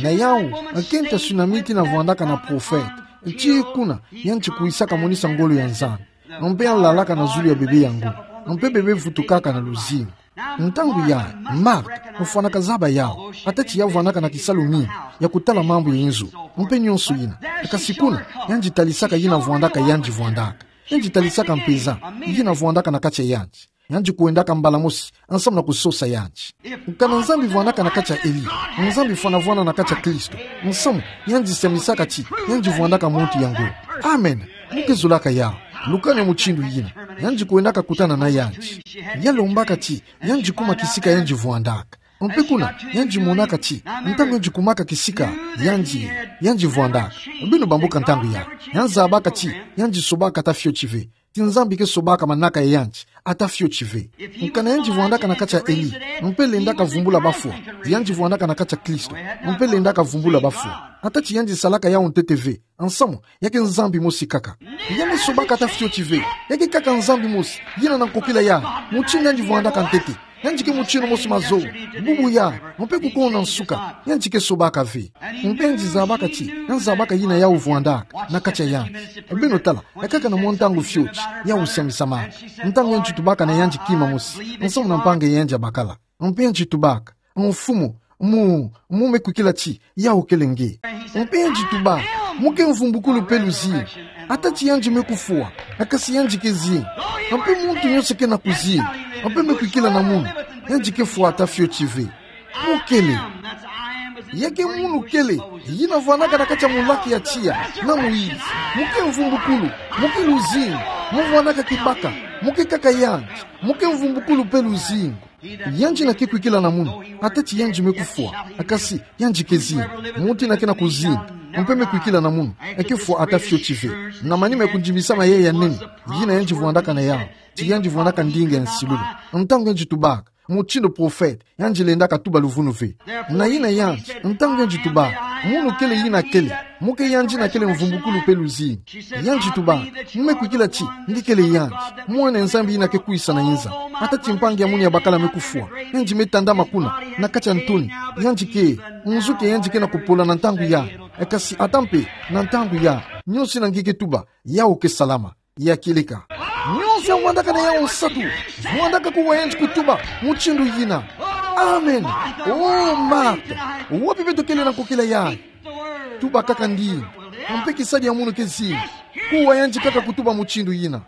Na yawu, kento ya Sunamite yina vwandaka na prophète. Ti kuna, yandi kwisaka monisa ngolo ya Nzambi. Mpe ya lalaka na zulu ya bebe yango. Mpe bebe vutukaka na luzingu. Ntangu ya Marthe, mfwanaka zaba yawu, ata ti ya vwandaka na kisalu mingi ya kutala mambu ya inzo, mpe nyonso yina. Kasi kuna, yandi talisaka yina vwandaka yandi vwandaka. Yandi talisaka mpeza yina vwandaka na kati ya yandi. Yandi kwendaka mbala mosi, nsamu na kusosa yandi. Kana Nzambi vwandaka na kati ya Eli, Nzambi fwana vwanda na kati ya Kristo, nsamu yandi samisaka ti yandi vwandaka muntu yango. Amen. Mu ke zolaka yawu. Lukani ya mutindu yina, yandi kwendaka kutana na yandi. Ya lombaka ti yandi kuma kisika yandi vwandaka. Mpe kuna, yandi monaka ti ntangu yandi kumaka kisika yandi, yandi vwandaka, beno bambuka ntangu ya, yandi zabaka ti yandi sobaka ata fioti ve, ti Nzambi ke sobaka manaka ya yandi ata fioti ve. Kana yandi vwandaka na kati ya Eli, mpe lendaka vumbula bafwa, yandi vwandaka na kati ya Kristo, mpe lendaka vumbula bafwa. Ata ti yandi salaka yawu ntete ve, nsamu ya ke Nzambi mosi kaka. Ya me sobaka ata fioti ve, ya ke kaka Nzambi mosi, yina na nkokila ya, mutindu yandi vwandaka ntete. Yandi ke mutindu mosi mazono, bubu ya, mpe kukona nsuka, yandi ke sobaka ve. Mpe yandi zabaka ti, yandi zabaka yina yawu vwandaka na kati ya yandi. Beno tala, kaka na mwa ntangu fioti, yawu samisamaka. Ntangu yandi tubaka na yandi kima mosi, nsamu na mpangi ya yandi ya bakala. Mpe yandi tubaka: Mfumu, mu, mu me kwikila ti yawu kele nge. Mpe yandi tuba: Mu ke mvumbukulu mpe luzingu. Ata ti yandi me kufwa, kasi yandi ke zinga. Mpe muntu nyonso ke na kuzinga, mpe me kwikila na munu, yandi ke fwa ata fioti ve. Mu kele. Ya ke munu kele, yina vwandaka na kati ya mulaki ya tiya na Moïse. Mu ke mvumbukulu, mu ke luzingu, mu vwandaka kibaka, mu ke kaka yandi, mu ke mvumbukulu mpe luzingu. Yandi na ke kwikila na munu, ata ti yandi me kufwa, kasi yandi ke zinga. Muntu yina ke na kuzinga, mpe me kwikila na munu, ke fwa ata fioti ve. Na manima ya kundimbisa mayela ya nene, yina yandi vwandaka na yawu, ti yandi vwandaka ndinga ya nsilulu. Ntangu yandi tubaka, mutindu profete, yandi lendaka tuba luvunu ve. Na yina yandi, ntangu yandi tubaka: Munu kele yina kele, mu ke yandi yina kele mvumbukulu mpe luzingu. Yandi tuba: Mu me kwikila ti nge kele yandi, Mwana ya Nzambi yina ke kwisa na inza. Ata ti mpangi ya munu ya bakala me kufwa, yandi me tandama kuna, na kati ya ntoni, yandi ke, nzuki ya yandi ke na kupola na ntangu ya, kasi ata mpe na ntangu ya, nyonso yina nge ke tuba, yawu ke salama. Ya kieleka. Nyonso ya vwandaka na yawu nsatu, vwandaka kuwa yandi kutuba mutindu yina. Amen. Oh, Marthe, wapi beto kele na nkokila yayi? Tuba kaka ndinga, mpe kisadi ya munu ke zinga. Kuwa yandi kaka kutuba mutindu yina.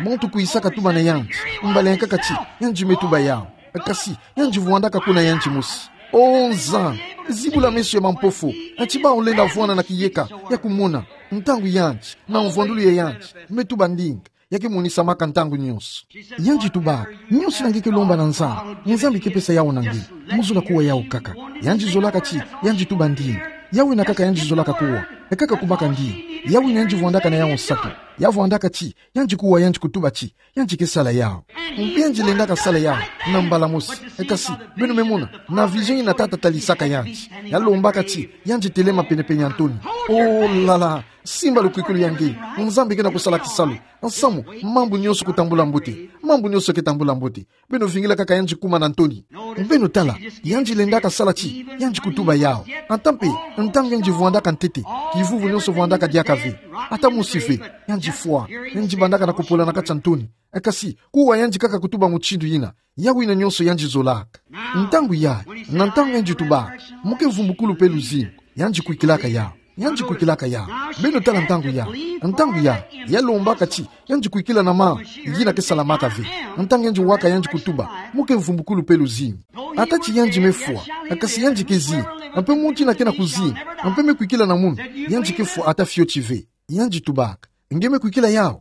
Muntu kwisaka tuba na yandi, mbala yankaka ti yandi me tuba yawu, kasi yandi vwandaka kuna yandi mosi. Oh Nzambi, zibula meso ya bampofu, ti bawu lenda vwanda na kiyeka ya kumona, ntangu yandi, na mvwandulu ya yandi, me tuba ndinga, ya ke monisamaka ntangu nyonso. Yandi tuba: Nyonso yina nge ke lomba na Nzambi, Nzambi ke pesa yawu na nge. Mu zola kuwa yawu kaka. Yandi zolaka ti yandi tuba ndinga. Yawu yina kaka yandi zolaka kuwa. Kaka kubaka ndinga. Yawu yina yandi vwandaka na yawu nsatu. Ya vwandaka ti yandi kuwa yandi kutuba ti yandi ke sala yawu. Mpe yandi lendaka sala yawu na mbala mosi. Kasi, beno me mona, na vision yina tata talisaka yandi, ya lombaka ti yandi telema penepene ya ntoni. Oh là là, simba lukwikulu ya nge. Nzambi ke na kusala kisalu. Nsamu, mambu nyonso kutambula mbote. Mambu nyonso ke tambula mbote. Beno vingila kaka yandi kuma na ntoni. Beno tala, yandi lendaka sala ti yandi kutuba yawu. Ata mpe, ntangu yandi vwandaka ntete, kivuvu nyonso vwandaka diaka ve. Ata mosi ve, yandi fwa, yandi bandaka na kupola na kati ya ntoni. Kasi, kuwa yandi kaka kutuba mutindu yina, yawu yina nyonso yandi zolaka. Ntangu yayi, na ntangu yandi tuba: Mu ke mvumbukulu mpe luzingu, yandi kwikilaka yawu. Yandi kwikilaka yawu. Beno tala ntangu yayi. Ntangu yayi, ya lombaka ti yandi kwikila na ma yina ke salamaka ve. Ntangu yandi waka yandi kutuba: Mu ke mvumbukulu mpe luzingu. Ata ti yandi me fwa, kasi yandi ke zinga. Mpe muntu yina ke na kuzinga, mpe me kwikila na munu, yandi ke fwa ata fioti ve. Yandi tubaka: Nge me kwikila yawu?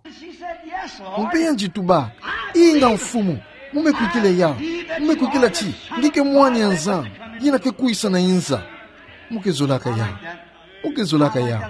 Mpe yandi tuba: Inga Mfumu, mu me kwikila yawu. Mu me kwikila ti nge ke Mwana ya Nzambi, yina ke kwisa na inza. Mu ke zolaka yawu? Mu ke zolaka yawu?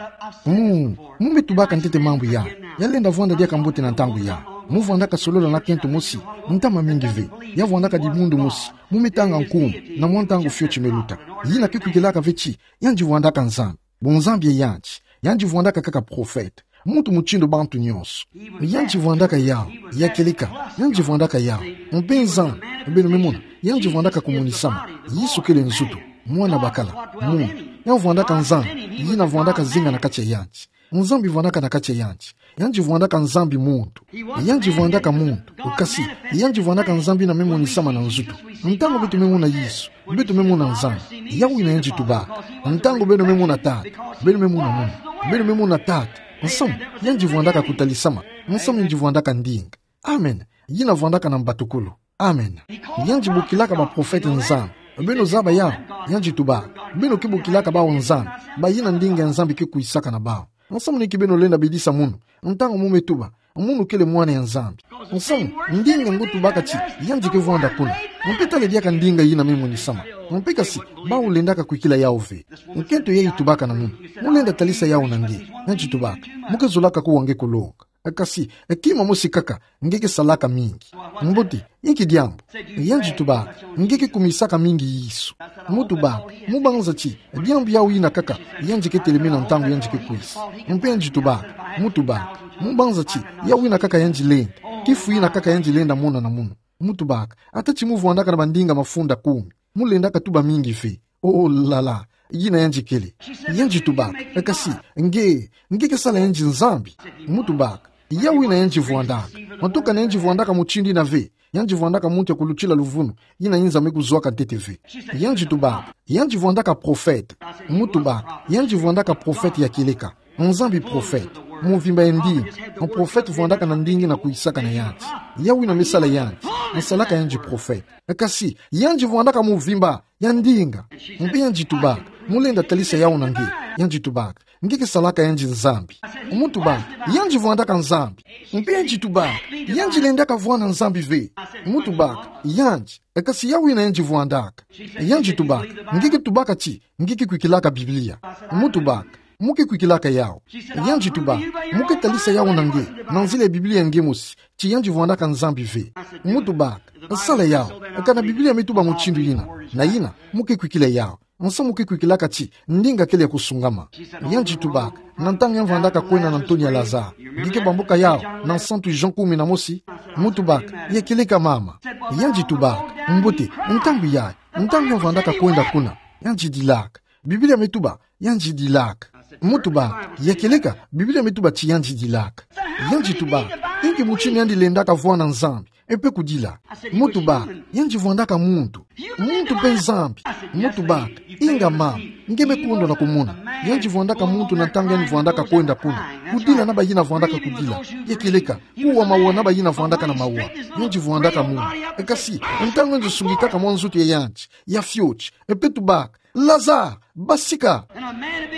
Mu, mu me tubaka ntete mambu yayi. Ya lenda vwanda diaka mbote na ntangu yayi. Mu vwandaka solola na kento mosi, ntama mingi ve. Ya vwandaka dibundu mosi, mu me tanga nkumbu, na mwa ntangu fioti me luta. Yina ke kwikilaka ve ti yandi vwandaka Nzambi. Bunzambi ya yandi, yandi vwandaka kaka profete, muntu mutindu bantu nyonso. Yandi vwandaka yawu, ya kieleka, yandi vwandaka yawu. Mpe Nzambi, beno me mona, yandi vwandaka kumonisama, Yesu kele nzutu, mwana bakala, muntu. Ya vwandaka Nzambi, yina vwandaka zinga na kati ya yandi. Nzambi vwandaka na kati ya yandi. Yandi vwandaka Nzambi muntu. Yandi vwandaka muntu. Kasi, yandi vwandaka Nzambi na me monisama na nzutu. Ntangu beto me mona Yesu, beto me mona Nzambi. Yawu yina yandi tubaka. Ntangu beno me mona Tata, beno me mona munu. Beno me mona Tata. Nsamu, yandi vwandaka kutalisama. Nsamu, yandi vwandaka ndinga. Amen. Yina vwandaka na mbatukulu. Amen. Yandi bokilaka baprofete Nzambi. Beno zaba yawu, yandi tubaka. Beno ke bokilaka bawu Nzambi. Bayina ndinga ya Nzambi ke kwisaka na bawu. Nsamu, ni ki beno lenda bidisa munu. Ntangu mu me tuba, munu kele mwana ya Nzambi. Nsamu, ndinga ngu tubaka ti, yandi ke vwanda kuna. Mpe tala diaka ndinga yina me monisama. Mpe kasi, bawu lendaka kwikila yawu ve. Nkento yayi tubaka na munu. Mu lenda talisa yawu na nge. Yandi tubaka. Mu ke zolaka kuwa nge kolonga. Kasi, kima mosi kaka, nge ke salaka mingi. Mbote, inki diambu? Yandi tubaka, nge ke kumisaka mingi Yesu. Mu tubaka, mu banza ti, diambu yawu yina kaka, yandi ke telemena ntangu yandi ke kwisa. Mpe yandi tubaka, mu tubaka, mu banza ti, yawu yina kaka yandi lenda. Kifu yina kaka yandi lenda mona na munu. Mu tubaka, ata ti mu vwandaka na bandinga mafunda kumi. Mu lendaka tuba mingi ve. Oh, la, la. Yina yandi kele. Yandi tubaka. Kasi, nge, nge ke sala yandi Nzambi. Mu tubaka. Yawu yina yandi vwandaka. Matoka na yandi vwandaka mutindu yina ve. Yandi vwandaka muntu ya kulutila luvunu. Yina inza me kuzwaka ntete ve. Yandi tubaka. Yandi vwandaka profete. Mu tubaka. Yandi vwandaka profete ya kieleka. Nzambi profete. Muvimba ya ndinga. Muprofete vwandaka na ndinga yina kwisaka na yandi. Yawu yina me sala yandi. Musalaka yandi profete. Kasi, yandi vwandaka muvimba ya ndinga. Mpe yandi tubaka, mu lenda talisa yawu na nge. Yandi tubaka, nge ke salaka yandi Nzambi. Mu tubaka, yandi vwandaka Nzambi. Mpe yandi tubaka, yandi lendaka vwanda Nzambi ve. Mu tubaka, yandi, kasi yawu yina yandi vwandaka. Yandi tubaka, nge ke tubaka ti, nge ke kwikilaka Biblia. Mu tubaka, mu ke kwikilaka yawu. Yandi tubaka, mu ke talisa yawu na nge, na nzila ya Biblia ya nge mosi, ti yandi vwandaka Nzambi ve. Mu tubaka, sala yawu, kana Biblia me tuba mutindu yina, na yina, mu ke kwikila yawu. Nsamu, mu ke kwikilaka ti, ndinga kele ya kusungama. Yandi tubaka, na ntangu ya vwandaka kwenda na ntoni ya Lazare. Nge ke bambuka yawu, na Santu Jean kumi na mosi. Mu tubaka, ya kieleka mama. Yandi tubaka, mbote, ntangu yayi, ntangu ya vwandaka kwenda kuna. Yandi dilaka. Biblia me tuba, yandi dilaka. Mu tubaka, ya kieleka, Biblia me tuba ti yandi dilaka. Yandi tubaka, inki mutindu yandi lendaka vwanda Nzambi, mpe kudila. Mu tubaka, yandi vwandaka muntu. Muntu mpe Nzambi. Mu tubaka, inga mama, nge me kondwa na kumona. Yandi vwandaka muntu na ntangu yandi vwandaka kwenda kuna. Kudila na bayina vwandaka kudila. Ya kieleka, kuwa mawa na bayina vwandaka na mawa. Yandi vwandaka muntu. Kasi, ntangu yandi sungikaka mwa nzutu ya yandi, ya fioti, mpe tubaka, Lazare, basika.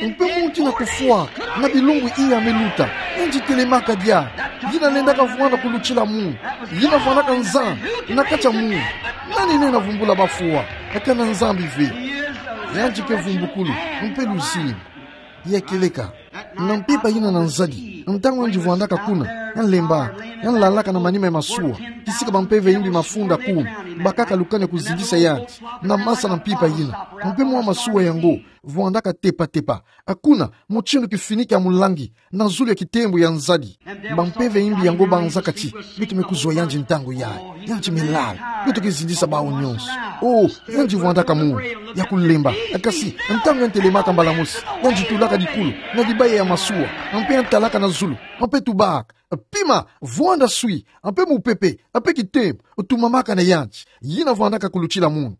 Mpe muntu yina kufwaka na bilumbu iya me luta, yandi telemaka diaka. Yina lendaka vwanda kulutila muntu. Yina vwandaka Nzambi na kati ya muntu. Nani nena vumbula bafwa, kana Nzambi ve? Yandi ke vumbukulu, mpe luzingu. Ya kieleka. Na mpimpa yina na nzadi, ntangu yandi vwandaka kuna, yandi lembaka, yandi lalaka na manima ya masuwa, kisika bampeve ya imbi mafunda kumi bakaka lukani ya kuzindisa yandi, na masa na mpimpa yina, mpe mwa masuwa yango vwandaka tepa-tepa. Kuna, mutindu kifiniki ya mulangi, na zulu ya kitembo ya nzadi. Bampeve ya imbi yango banzaka ti, beto me kuzwa yandi ntangu yayi. Yandi me lala. Beto ke zindisa bawu nyonso. Oh, yandi vwandaka muntu ya kulemba. Kasi, ntangu yandi telemaka mbala mosi, yandi tulaka likolo na dibaya ya masuwa, mpe yandi talaka na zulu, mpe tubaka: Pima, vwanda swi, mpe mupepe, mpe kitembo tumamaka na yandi. Yina vwandaka kulutila muntu.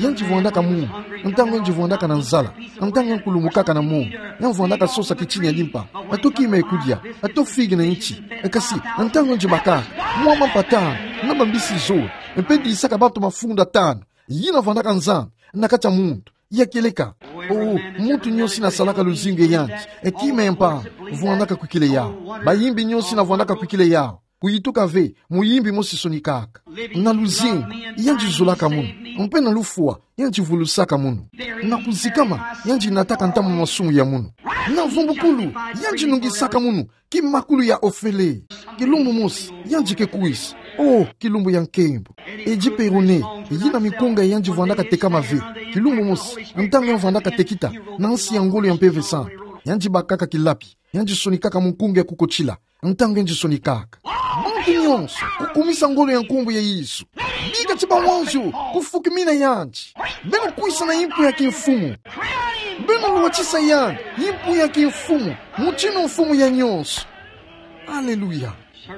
Yandi vwandaka muntu, ntangu yandi vwandaka na nzala, ntangu yandi kulumukaka na muntu, yandi vwandaka sosa kitini ya limpa, to kima ya kudia, to figue na inti. Kasi, ntangu yandi bakaka mwa mampa tanu na bambisi zole, mpe disaka bantu mafunda tanu, yina vwandaka Nzambi na kati ya muntu. Ya kieleka. Oh, muntu nyonso yina salaka luzingu ya yandi, kima ya mpamba, vwandaka kwikila yawu. Bayimbi nyonso yina vwandaka kwikila yawu. Kuyituka ve, muyimbi mosi sonikaka. Na luzingu, yandi zolaka munu. Mpe na lufwa, yandi vulusaka munu. Na kuzikama, yandi nataka ntamu masumu ya munu. Na vumbukulu, yandi nungisaka munu kimakulu ya ofele. Kilumbu mosi, yandi ke kwisa. Oh, kilumbu ya nkembo. Eddy Perronnet, yina mikunga ya yandi vwandaka tekama ve. Kilumbu mosi, ntangu yandi vwandaka tekita na nsi ya ngolo ya Mpeve Santu, yandi bakaka kilapi, yandi sonikaka mukunga ya kukotila. Ntangu yandi sonikaka, bantu nyonso kukumisa ngolo ya nkumbu ya Yesu. Bika ti bawanzio kufukimina yandi. Beno kwisa na impu ya kimfumu. Beno luatisa yandi, Mpungi aki Mfumu, Mutinu Mfumu ya nyonso. Aleluya.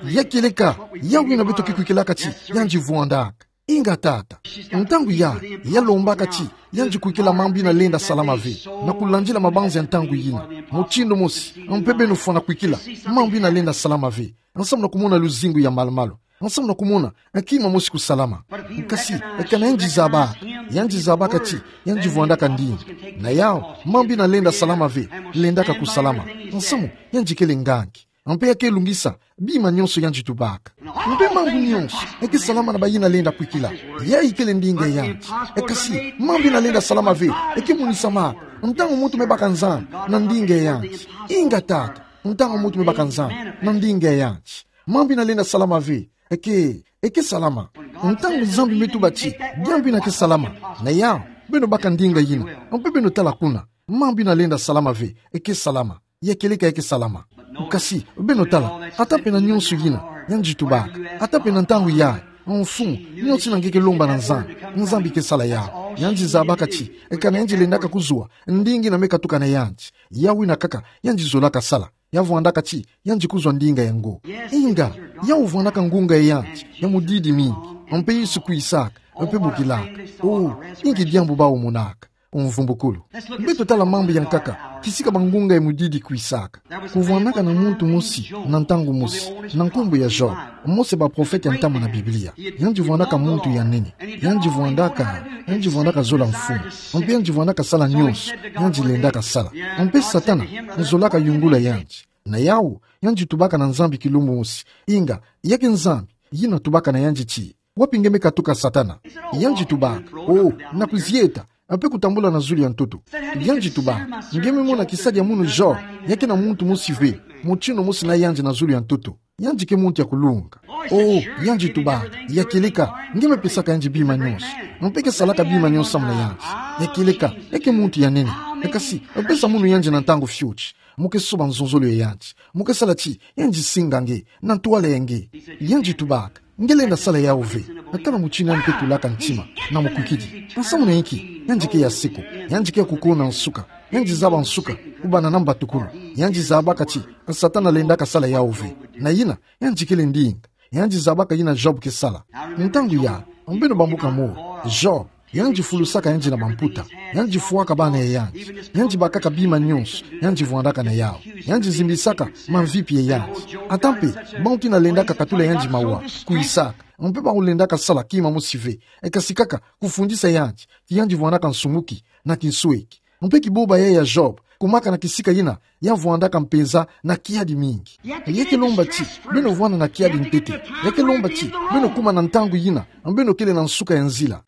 Ya kieleka, yawu yina beto ke kwikilaka ti yandi vwandaka. Inga Tata. Ntangu ya, ya lombaka ti yandi kwikila mambu yina lenda salama ve, na kulandila mabanza ya ntangu yina. Mutindu mosi, mpe beno fwana kwikila mambu yina lenda salama ve, nsamu na kumona luzingu ya malu-malu, nsamu na kumona kima mosi kusalama. Kasi, kana yandi zaba, yandi zabaka ti yandi vwandaka ndinga. Na yawu, mambu yina lenda salama ve, lendaka kusalama, nsamu yandi kele ngangi. Mpe ya ke lungisa bima nyonso yandi tubaka. Mpe mambu nyonso, e ke salama na bayina lenda kwikila. Yayi kele ndinga ya yandi. E kasi, mambu yina lenda salama ve, e ke monisamaka ntangu muntu me baka Nzambi na ndinga ya yandi. Inga Tata, ntangu muntu me baka Nzambi na ndinga ya yandi, mambu yina lenda salama ve, e ke, e ke salama. Ntangu Nzambi me tuba ti diambu yina ke salama, na yawu, beno baka ndinga yina, mpe beno tala kuna, mambu yina lenda salama ve, e ke salama. Ya kieleka ya ke salama. Kasi, beno tala, ata mpe na nyonso yina, yandi tubaka, ata mpe na ntangu yayi, Mfumu, nyonso yina nge ke lomba na Nzambi, Nzambi ke sala yawu. Yandi zabaka ti, kana yandi lendaka kuzwa ndinga yina me katuka na yandi, yawu yina kaka yandi zolaka sala. Ya vwandaka ti yandi kuzwa ndinga yango. Inga, yawu vwandaka ngunga ya yandi ya mudidi mingi. Mpe Yesu kwisaka, mpe bokilaka. Oh, inki diambu bawu monaka? Mvumbukulu. Beto tala mambu ya nkaka, kisika bangunga ya mudidi kwisaka. Kuvwandaka na muntu mosi, na ntangu mosi, na nkumbu ya Job, mosi ya baprofete ya ntamu na Biblia. Yandi vwandaka muntu ya nene. Yandi vwandaka, yandi vwandaka zola mfumu. Mpe yandi vwandaka sala nyonso yandi lendaka sala. Mpe Satana zolaka yungula yandi. Na yawu, yandi tubaka na Nzambi kilumbu mosi. Inga, ya ke Nzambi yina tubaka na yandi ti: Wapi nge me katuka, Satana? Yandi tubaka: Oh, na kuzieta, mpe kutambula na zulu ya ntoto. Yandi tubaka: Nge me mona kisa dia munu Job, ya ke na muntu mosi ve, mutinu mosi na yandi na zulu ya ntoto. Yandi ke muntu ya kulunga. Oh, yandi tubaka: Ya kieleka, nge me pesaka yandi bima nyonso. Mpe ke salaka bima nyonso samu na yandi. Ya kieleka, ya ke muntu ya nene. Kasi, pesa munu yandi na ntangu fioti. Mu ke soba nzonzolo ya yandi. Mu ke sala ti yandi singa nge na ntwala ya nge. Yandi tubaka: Nge lenda sala yawu ve. Tala mutinu yandi ke tulaka ntima na mukwikidi. Nsamu na inki? Yandi ke ya seko. Yandi ke ya kukona nsuka. Yandi zaba nsuka kubana na mbatukulu. Yandi zabaka ti Satana lendaka sala yawu ve. Na yina, yandi kele ndinga. Yandi zabaka yina Job ke sala. Ntangu ya, beno bambuka mo, Job, yandi fulusaka yandi na bamputa. Yandi fwaka bana ya yandi. Yandi bakaka bima nyonso yandi vwandaka na yawu. Yandi zimbisaka mamvipi ya yandi. Ata mpe bantu yina lendaka katula yandi mawa, kwisaka. Mpe bawu lendaka sala kima mosi ve, e kasi kaka kufundisa yandi ti yandi vwandaka nsumuki na kinsweki. Mpe kiboba yayi ya Job kumaka na kisika yina ya vwandaka mpenza na kiadi mingi. Ya ke lomba ti beno vwanda na kiadi ntete. Ya ke lomba ti beno kuma na ntangu yina beno kele na nsuka ya nzila.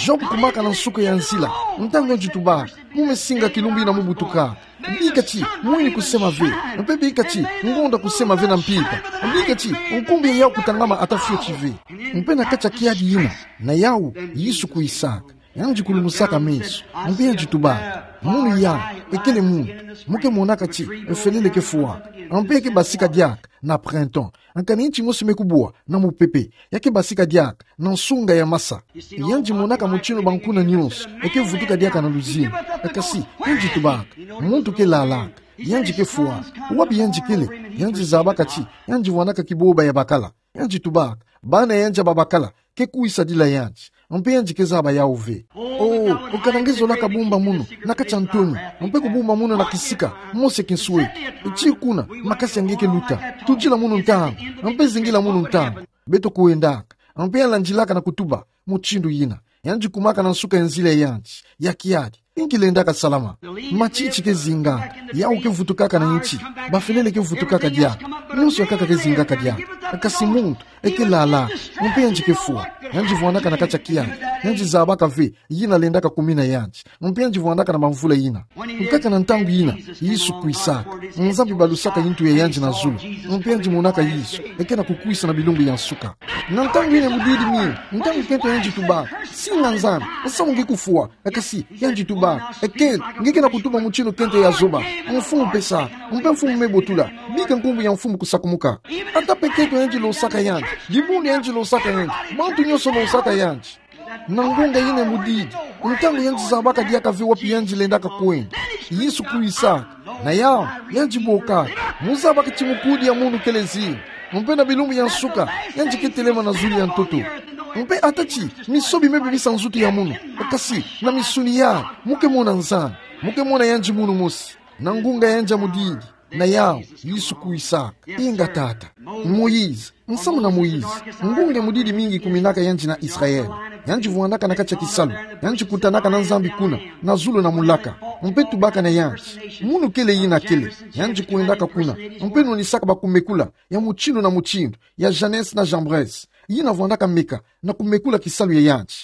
Job kumaka na nsuka ya nzila, ntangu yandi tubaka: Mu me singa kilumbu yina mu butuka. Bika ti mwini kusema ve, mpe bika ti ngonda kusema ve na mpimpa. Bika ti nkumbu ya yawu kutangama ata fioti ve. Mpe na kati ya kiadi yina, na yawu, Yesu kwisaka. Yandi kulumusaka meso, mpe yandi tubaka: Munu ya, e kele muntu. Mu ke monaka ti felele ke fwa. Mpe ya ke basika diaka na printemps. Kana inti mosi me kubwa na mupepe, ya ke basika diaka na nsunga ya masa. Yandi monaka mutinu bankuna nyonso e ke vutuka diaka na luzingu. Kasi, yandi tubaka: Muntu ke lalaka. Yandi ke fwa. Wapi yandi kele? Yandi zabaka ti yandi vwandaka kiboba ya bakala. Yandi tubaka: Bana ya yandi ya babakala ke kwisadila yandi. Mpe yandi ke zaba yawu ve. Oh, kana nge zolaka bumba munu na kati ya ntomi, mpe kubumba munu na kisika mosi ya kinsweki. Ti kuna makasi ya nge ke luta. Tudila munu ntangu, mpe zingila munu ntangu. Beto kwendaka, mpe ya landilaka na kutuba mutindu yina. Yandi kumaka na nsuka ya nzila ya yandi ya kiadi. Inki lendaka salama? Matiti ke zingaka, yawu ke vutukaka na inti, bafelele ke vutukaka diaka, nyonso ya nkaka ke zingaka diaka. Kasi muntu e ke lalaka, mpe yandi ke fwa. Yandi vwandaka na kati ya kiadi. Yandi zabaka ve yina lendaka kumina yandi. Mpe yandi vwandaka na bamvula yina. Nkaka na ntangu yina Yesu kwisaka, Nzambi balusaka yintu ya yandi na zulu. Mpe yandi monaka Yesu e ke na kukwisa na bilumbu ya nsuka. Na ntangu yina mudidi mingi, ntangu kento yandi tubaka: Singa Nzambi, nsamu nge kufwa. Kasi yandi tubaka: Ekele, nge ke na kutuba mutinu kento ya zoba. Mfumu pesa, mpe Mfumu me botula. Bika nkumbu ya Mfumu kusakumuka. Ata mpe kento yandi losaka yandi, dibundu yandi losaka yandi, bantu nyonso losaka yandi. Na ngonga yina mudidi, ntangu yandi zabaka diaka ve wapi yandi lendaka kwenda. Yesu kuisaka. Na yau, yandi bokaka. Mu zaba ka ti mukudi ya munu kele zina. Mpe na bilumbu ya nsuka, yandi ke telema na zulu ya ntoto. Mpe ata ti misobi mebebisa nzutu ya munu, kasi na misuni ya, mu ke mona Nzambi. Mu ke mona yandi munu mosi. Na ngunga yandi ya mudidi. Na yau, Yesu kuisaka. Inga tata. Moïse, nsamu na Moïse, ngunga ya mudidi mingi kuminaka yandi na Israël. Yandi vwandaka na kati ya kisalu, yandi kutanaka na Nzambi kuna, na zulu na mulaka. Mpe tubaka na yandi. Munu kele yina kele, yandi kwendaka kuna, mpe nonisaka bakumekula ya mutindu na mutindu, ya Jannes na Jambres. Yina vwandaka meka na kumekula kisalu ya yandi.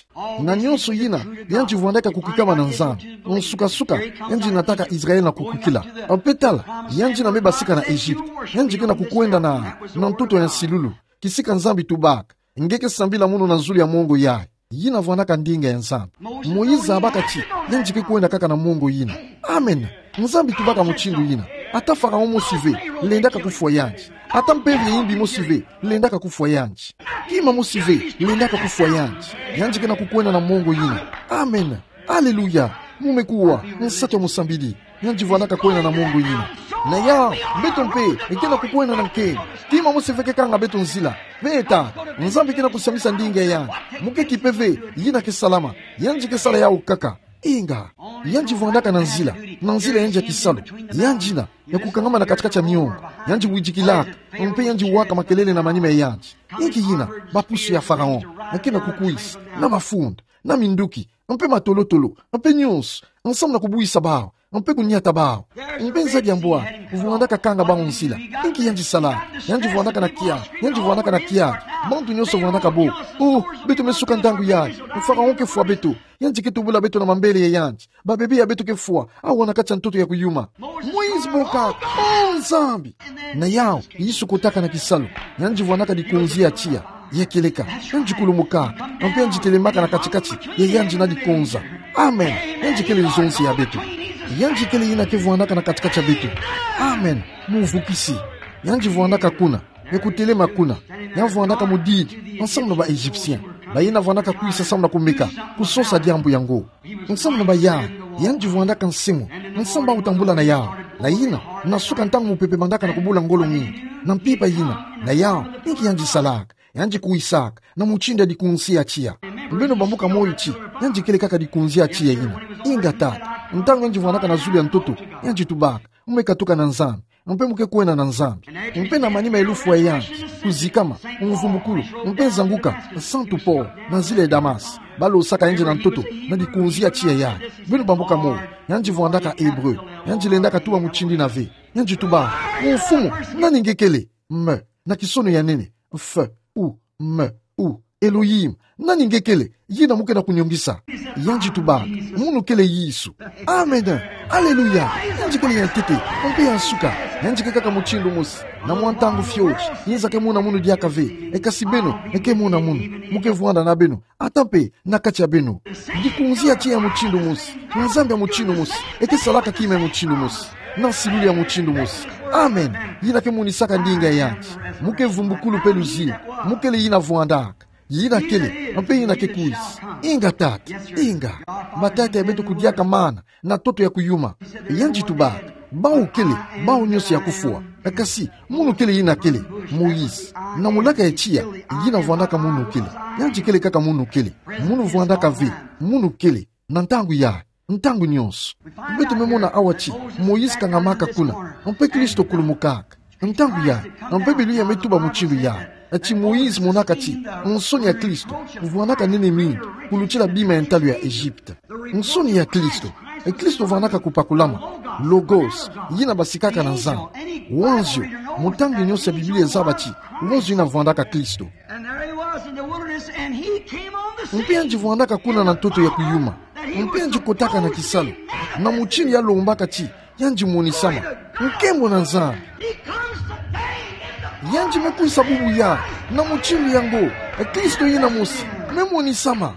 Na nionso yina, yandi vwandaka kukikama na Nzambi. Nsuka-nsuka, yandi nataka Israël na kukwikila. Mpe tala, yandi na mebasika na Egypte. Yandi ke na kukwenda na, na ntoto ya nsilulu. Kisika Nzambi tubaka: Nge ke sambila munu na zulu ya mongo yayi. Yina vwandaka ndinga ya Nzambi. Moïse zabaka ti yandi ke kwenda kaka na mongo yina. Amen. Nzambi tubaka mutindu yina. Ata Pharaon mosi ve lendaka kufwa yandi. Ata mpeve ya imbi mosi ve lendaka kufwa yandi. Kima mosi ve lendaka kufwa yandi. Yandi ke na kukwenda na mongo yina. Amen. Aleluya. Mu mekuwa nsatu ya musambidi. Yandi vwandaka kwenda na mongo yina. Na yau, beto mpe, e ke na kukwenda na nkenge. Kima mosi ve ke kanga beto nzila. Beta, Nzambi ke na kusamisa ndinga ya yandi. Mu ke kipe ve yina ke salama. Yandi ke sala yau kaka. Inga, yandi vwandaka na nzila, na nzila ya yandi ya kisalu. Yandi na, ya kukangama na kati-kati ya miongo. Yandi widikilaka, mpe yandi waka makelele na manima ya yandi. Inki yina? Bapusu ya Pharaon. A ke na kukwisa, na mafunda, na minduki, mpe matolo-tolo, mpe nionso, nsamu na kubuisa bau, mpe kuniata bau. Mpe nzadi ya mbwa vwandaka kanga bau nzila. Inki yandi salaka? Yandi vwandaka na kiadi, yandi vwandaka na kiadi. Bantu nionso vwandaka bo: Oh, beto me suka ntangu yayi. Pharaon ke fwa beto. Yandi ke tubula beto na mambele ya yandi. Babebe ya beto ke fwa awa na kati ya ntoto ya kuyuma. Moïse bokaka: Oh Nzambi! Na yau, Yesu kotaka na kisalu. Yandi vwandaka dikonzi ya tiya, ya kieleka. Yandi kulumukaka, mpe yandi telemaka na kati-kati ya yandi na dikonza. Amen. Yandi kele nzonzi ya beto. Yandi kele yina ke vwandaka na kati-kati ya beto. Amen. Muvukisi. Yandi vwandaka kuna, ya kutelema kuna. Ya vwandaka mudidi nsamu na ba Égyptiens. Bayina vwandaka kwisa samu na kumeka, kusosa diambu yango. Nsamu na baya, yandi vwandaka nsemo nsamu bau tambula na yau. Na yina, na suka ntangu mupepe mandaka na kubula ngolo mingi, na mpimpa yina. Na yau, inki yandi salaka? Yandi kwisaka na mutindu ya dikonzi ya tiya. Beno bambuka moyo ti yandi kele kaka dikonzi ya tiya yina. Inga tata, ntangu yandi vwandaka na zulu ya ntoto, yandi tubaka: Mu me katuka na Nzambi, mpe mu ke kwenda na Nzambi. Mpe na manima ya lufwa ya yandi, kuzikama, mvumbukulu, mpe nzanguka, Santu Paul, na nzila ya Damas, balosaka yandi na ntoto na dikonzi ya tiya yayi. Beno bambuka moyo, yandi vwandaka Hébreu. Yandi lendaka tuba mutindu yina ve. Yandi tuba: Mfumu, nani nge kele? Me, na kisono ya nene. F, U, M, U. Elohim, nani nge kele, yina mu ke na kuniongisa? Yandi tuba: Munu kele Yesu. Amen. Aleluya. Yandi kele ya ntete, mpe ya nsuka. Yandi ke kaka mutindu mosi, na mwa ntangu fioti. Nza ke mona munu diaka ve, e kasi beno, e ke mona munu. Mu ke vwanda na beno, ata mpe na kati ya beno. Dikonzi ya tiya ya mutindu mosi, Nzambi ya mutindu mosi, e ke salaka kima ya mutindu mosi, na nsilulu ya mutindu mosi. Amen. Yina ke monisaka ndinga ya yandi. Mu ke mvumbukulu mpe luzingu. Mu kele yina vwandaka, yina kele, mpe yina ke kwisa. Inga tata, inga. Batata ya beto kudiaka mana na ntoto ya kuyuma. Yandi tubaka: Bau kele bau nionso ya kufwa, e kasi munu kele yina kele. Moïse, na mulaka ya tiya, yina vwandaka munu kele. Yandi kele kaka munu kele. Munu vwandaka ve, munu kele. Na ntangu yayi, ntangu nionso. Beto me mona awa ti Moïse kangamaka kuna, mpe Kristo kulumukaka. Ntangu yayi, mpe Biblia me tuba mutindu yayi, ti Moïse monaka ti nsoni ya Kristo vwandaka nene mingi kulutila bima ya ntalu ya Egypte. Nsoni ya Kristo. E Kristo vwandaka kupakulama, Logos, yina basikaka na Nzambi. Wanzio, mu ntangu nionso ya Biblia zaba ti wanzio yina vwandaka Kristo. And there he was in the wilderness, and he came on the scene. Mpe yandi vwandaka kuna na ntoto ya kuyuma. Mpe yandi kotaka na kisalu, na mutindu ya lombaka ti yandi monisama. Nkembo na Nzambi. He comes today in the... Yandi me kwisa bubu yayi, na mutindu yango, e Kristo yina mosi, me monisama.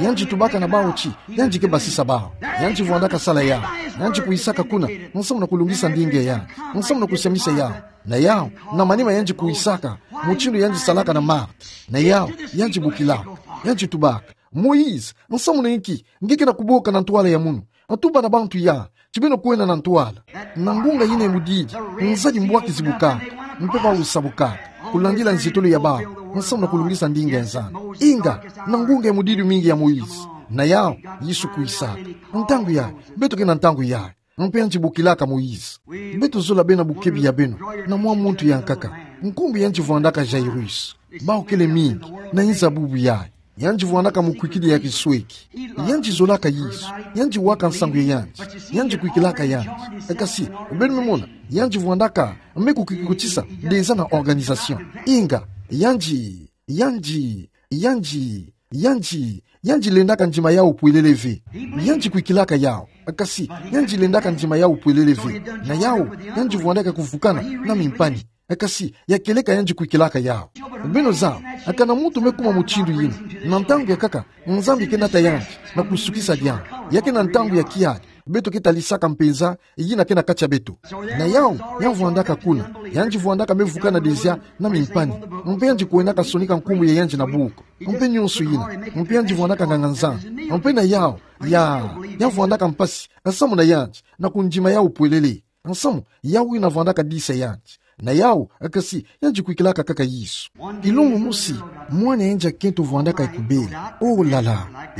Yandi tubaka na bau ti yandi ke basisa bau. Yandi vwandaka sala yayi. Yandi kwisaka kuna nsamu na kulungisa ndinga ya yandi, nsamu na kusamisa yau. Na yau, na manima yandi kwisaka mutindu yandi salaka na Marthe. Na yau, yandi bokilaka, yandi tubaka: Moïse, nsamu na inki nge ke na kuboka na ntwala ya munu? Atuba na bantu ya, ti beno kwenda na ntwala. Na ngunga yina ya mudidi, nzadi mbwaki zibukaka, mpe bawu sabukaka kulandila nzitolo ya bawu, nsamu na kulungisa ndinga ya nzana. Inga, na ngunga ya mudidi mingi ya Moïse. Na yawu, Yesu kwisaka. Ntangu yayi, beto ke na ntangu yayi. Mpe yandi bokilaka Moïse. Beto zola bena bukebi ya beno, na mwa muntu ya nkaka. Nkumbu yandi vwandaka Jairus. Bawu kele mingi, na inza bubu yayi. Yandi vwandaka mukwikidi ya kisweki. Yandi zolaka Yesu. Yandi waka nsangu ya yandi. Yandi kwikilaka yandi. Kasi, beno me mona, yandi vwandaka me kukwikotisa deza na organisation. Inga, yandi, yandi, yandi, yandi, yandi lendaka ndima yawu pwelele ve. Yandi kwikilaka yawu. Kasi, yandi lendaka ndima yawu pwelele ve. Na yawu, yandi vwandaka kuvukana na mimpani. Kasi, ya kieleka yandi kwikilaka yawu. Beno zaba, kana muntu me kuma mutindu yina, na ntangu ya nkaka, Nzambi ke nata yandi na kusukisa diambu. Ya ke na ntangu ya kiadi, beto ke talisaka mpenza yina ke na kati ya beto. Na yawu, ya vwandaka kuna, yandi vwandaka me vukana deza na mimpani. Mpe yandi kwendaka sonika nkumbu ya yandi na buku. Mpe nionso yina, mpe yandi vwandaka nganga-Nzambi. Mpe na yawu, ya, ya vwandaka mpasi, nsamu na yandi, na kundima yawu pwelele. Nsamu, yawu yina vwandaka disa yandi. Na yawu, kasi, yandi kwikilaka kaka Yesu. Kilumbu mosi, mwana yandi ya kento vwandaka kubela. Oh là là,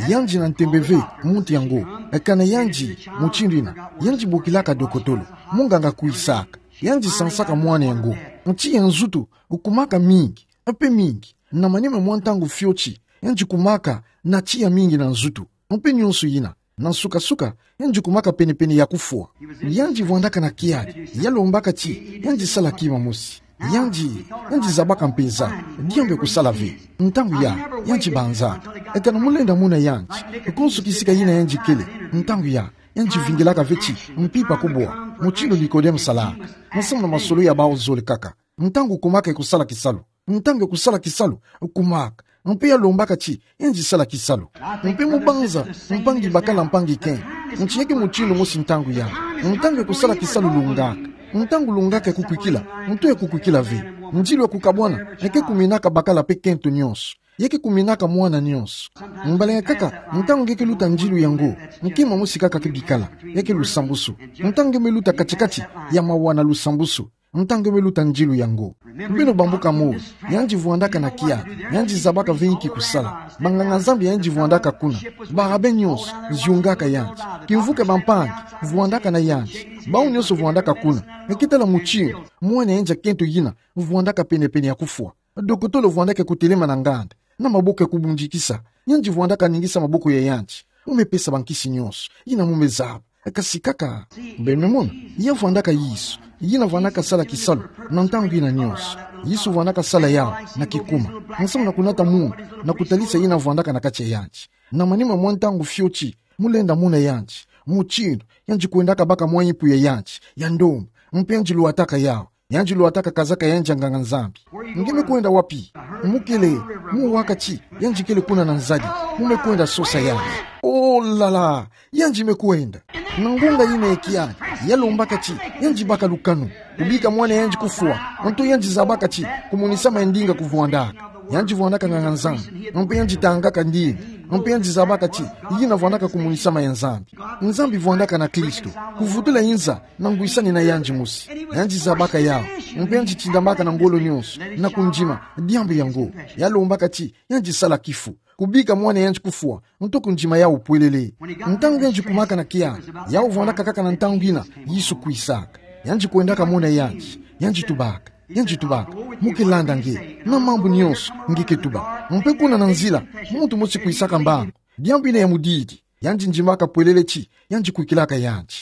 yandi na ntembe ve, muntu yango. Kana yandi, mutindu yina, yandi bokilaka dokotolo. Munganga kwisaka. Yandi sansaka mwana yango. Nti ya nzutu, kumaka mingi. Mpe mingi. Na manima mwa ntangu fioti, yandi kumaka na tiya mingi na nzutu. Mpe nionso yina. Na nsuka-nsuka, yandi kumaka pene-pene ya kufwa. Yandi vwandaka na kiadi, ya lombaka ti, yandi sala kima mosi. Yandi, yandi zabaka mpenza, diambu ya kusala ve. Ntangu ya, yandi banzaka. Kana mu lenda mona yandi, konso kisika yina yandi kele. Ntangu ya, yandi vingilaka ve ti, mpimpa kubwa, mutindu Nikodeme salaka. Nsamu na masolo ya bawu zole kaka. Ntangu kumaka ya kusala kisalu. Ntangu ya kusala kisalu, kumaka. Mpe ya lombaka ti, yandi sala kisalu. Mpe mu banza, mpangi bakala mpangi kento. Nti ya ke mutindu mosi ntangu ya. Ntangu ya kusala kisalu lungaka. Ntangu lungaka ya kukwikila, nto ya kukwikila ve. Ndilu ya kukabwana, ya ke kuminaka bakala mpe kento nionso. Ya ke kuminaka mwana nionso. Mbala ya nkaka, ntangu nge ke luta ndilu yango, nkima mosi kaka ke bikala, ya ke lusambusu. Ntangu nge me luta kati-kati ya mawa na lusambusu. Ntangu nge me luta ndilu yango. Beno bambuka moyo, yandi vwandaka na kiadi, yandi zabaka ve inki kusala. Banganga-Nzambi ya yandi vwandaka kuna. Barabe nionso, ziungaka yandi. Kimvuka ya bampangi, vwandaka na yandi. Bawu nionso vwandaka kuna. Nge ke tala mutindu, mwana yandi ya kento yina, vwandaka pene-pene ya kufwa. Dokotolo vwandaka kutelema na nganda, na maboko ya kubundikisa. Yandi vwandaka ningisa maboko ya yandi. Mu me pesa bankisi nionso, yina mu me zaba. Kasi kaka, beno me mona, ya vwandaka Yesu, yina vwandaka sala kisalu, na ntangu yina nionso. Yesu vwandaka sala yawu, na kikuma. Nsamu na kunata munu, na kutalisa yina vwandaka na kati ya yandi. Na manima mwa ntangu fioti, mu lenda mona yandi. Mutindu, yandi kwendaka baka mwa impu ya yandi, ya ndombe, mpe yandi lwataka yawu. Yandi lwataka kazaka ya yandi ya nganga-Nzambi. Nge me kwenda wapi? Mu kele, mu waka ti, yandi kele kuna na nzadi. Mu me kwenda sosa yandi. Oh là là, yandi me kwenda. Na ngunga yina ya kiadi, ya lombaka ti, yandi baka lukanu. Kubika mwana ya yandi kufwa, nto yandi zabaka ti, kumunisama ya ndinga kuvwandaka. Yandi vwandaka nganga-Nzambi, mpe yandi tangaka ndinga, mpe yandi zabaka ti, yina vwandaka kumunisama ya Nzambi. Nzambi vwandaka na Kristo, kuvutula inza, na ngwisani na yandi mosi. Yandi zabaka yawu, mpe yandi tindamaka na ngolo nionso, na kundima, diambu yango. Ya lombaka ti, yandi sala kifu. Kubika mwana ya yandi kufwa, nto kundima yawu pwelele. Ntangu yandi kumaka na kiadi, yawu vwandaka kaka na ntangu yina, Yesu kwisaka. Yandi kwendaka mona yandi, yandi tubaka, yandi tubaka, mu ke landa nge, na mambu nionso, nge ke tuba. Mpe kuna na nzila, muntu mosi kwisaka mbangu. Diambu yina ya mudidi. Yandi ndimaka pwelele ti, yandi kwikilaka yandi.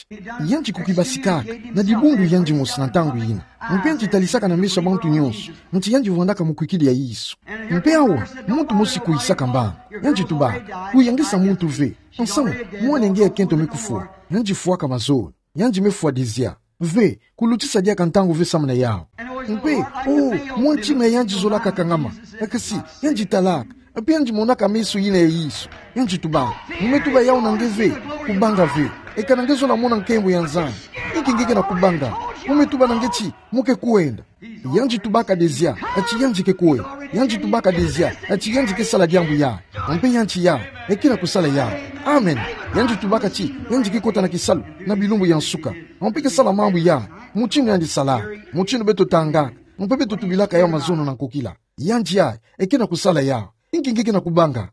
Yandi kukibasikaka, na dibundu yandi mosi na ntangu yina. Mpe yandi talisaka na meso ya bantu nionso, nti yandi vwandaka mukwikidi ya Yesu. Mpe awa, muntu mosi kwisaka mbangu. Yandi tubaka, kuyangisa muntu ve. Nsamu, mwana nge ya kento me kufwa. Yandi fwaka mazono. Yandi me fwa dezia. Ve, kulutisa diaka ntangu ve samu na yawu. Mpe, oh, mwa ntima ya yandi zolaka kangama. Kasi, yandi talaka. Mpe yandi monaka meso yina ya Yesu. Yandi tubaka. Mu me tuba yawu na nge ve, kubanga ve. E kana nge zola mona nkembo ya Nzambi. Inki nge ke na kubanga. Mu me tuba na nge ti, mu ke kwenda. Yandi tubaka dezia, ti yandi ke kwenda. Yandi tubaka dezia, ti yandi ke sala diambu yawu. Mpe yandi yawu, e kila kusala yawu. Amen. Yandi tubaka ti yandi ke kota na kisalu na bilumbu ya nsuka, mpe ke sala mambu ya mutindu yandi sala, mutindu beto tangaka, mpe beto tubilaka yau mazono na nkokila. Yandi ae, e ke na kusala yau. Inki nge ke na kubanga?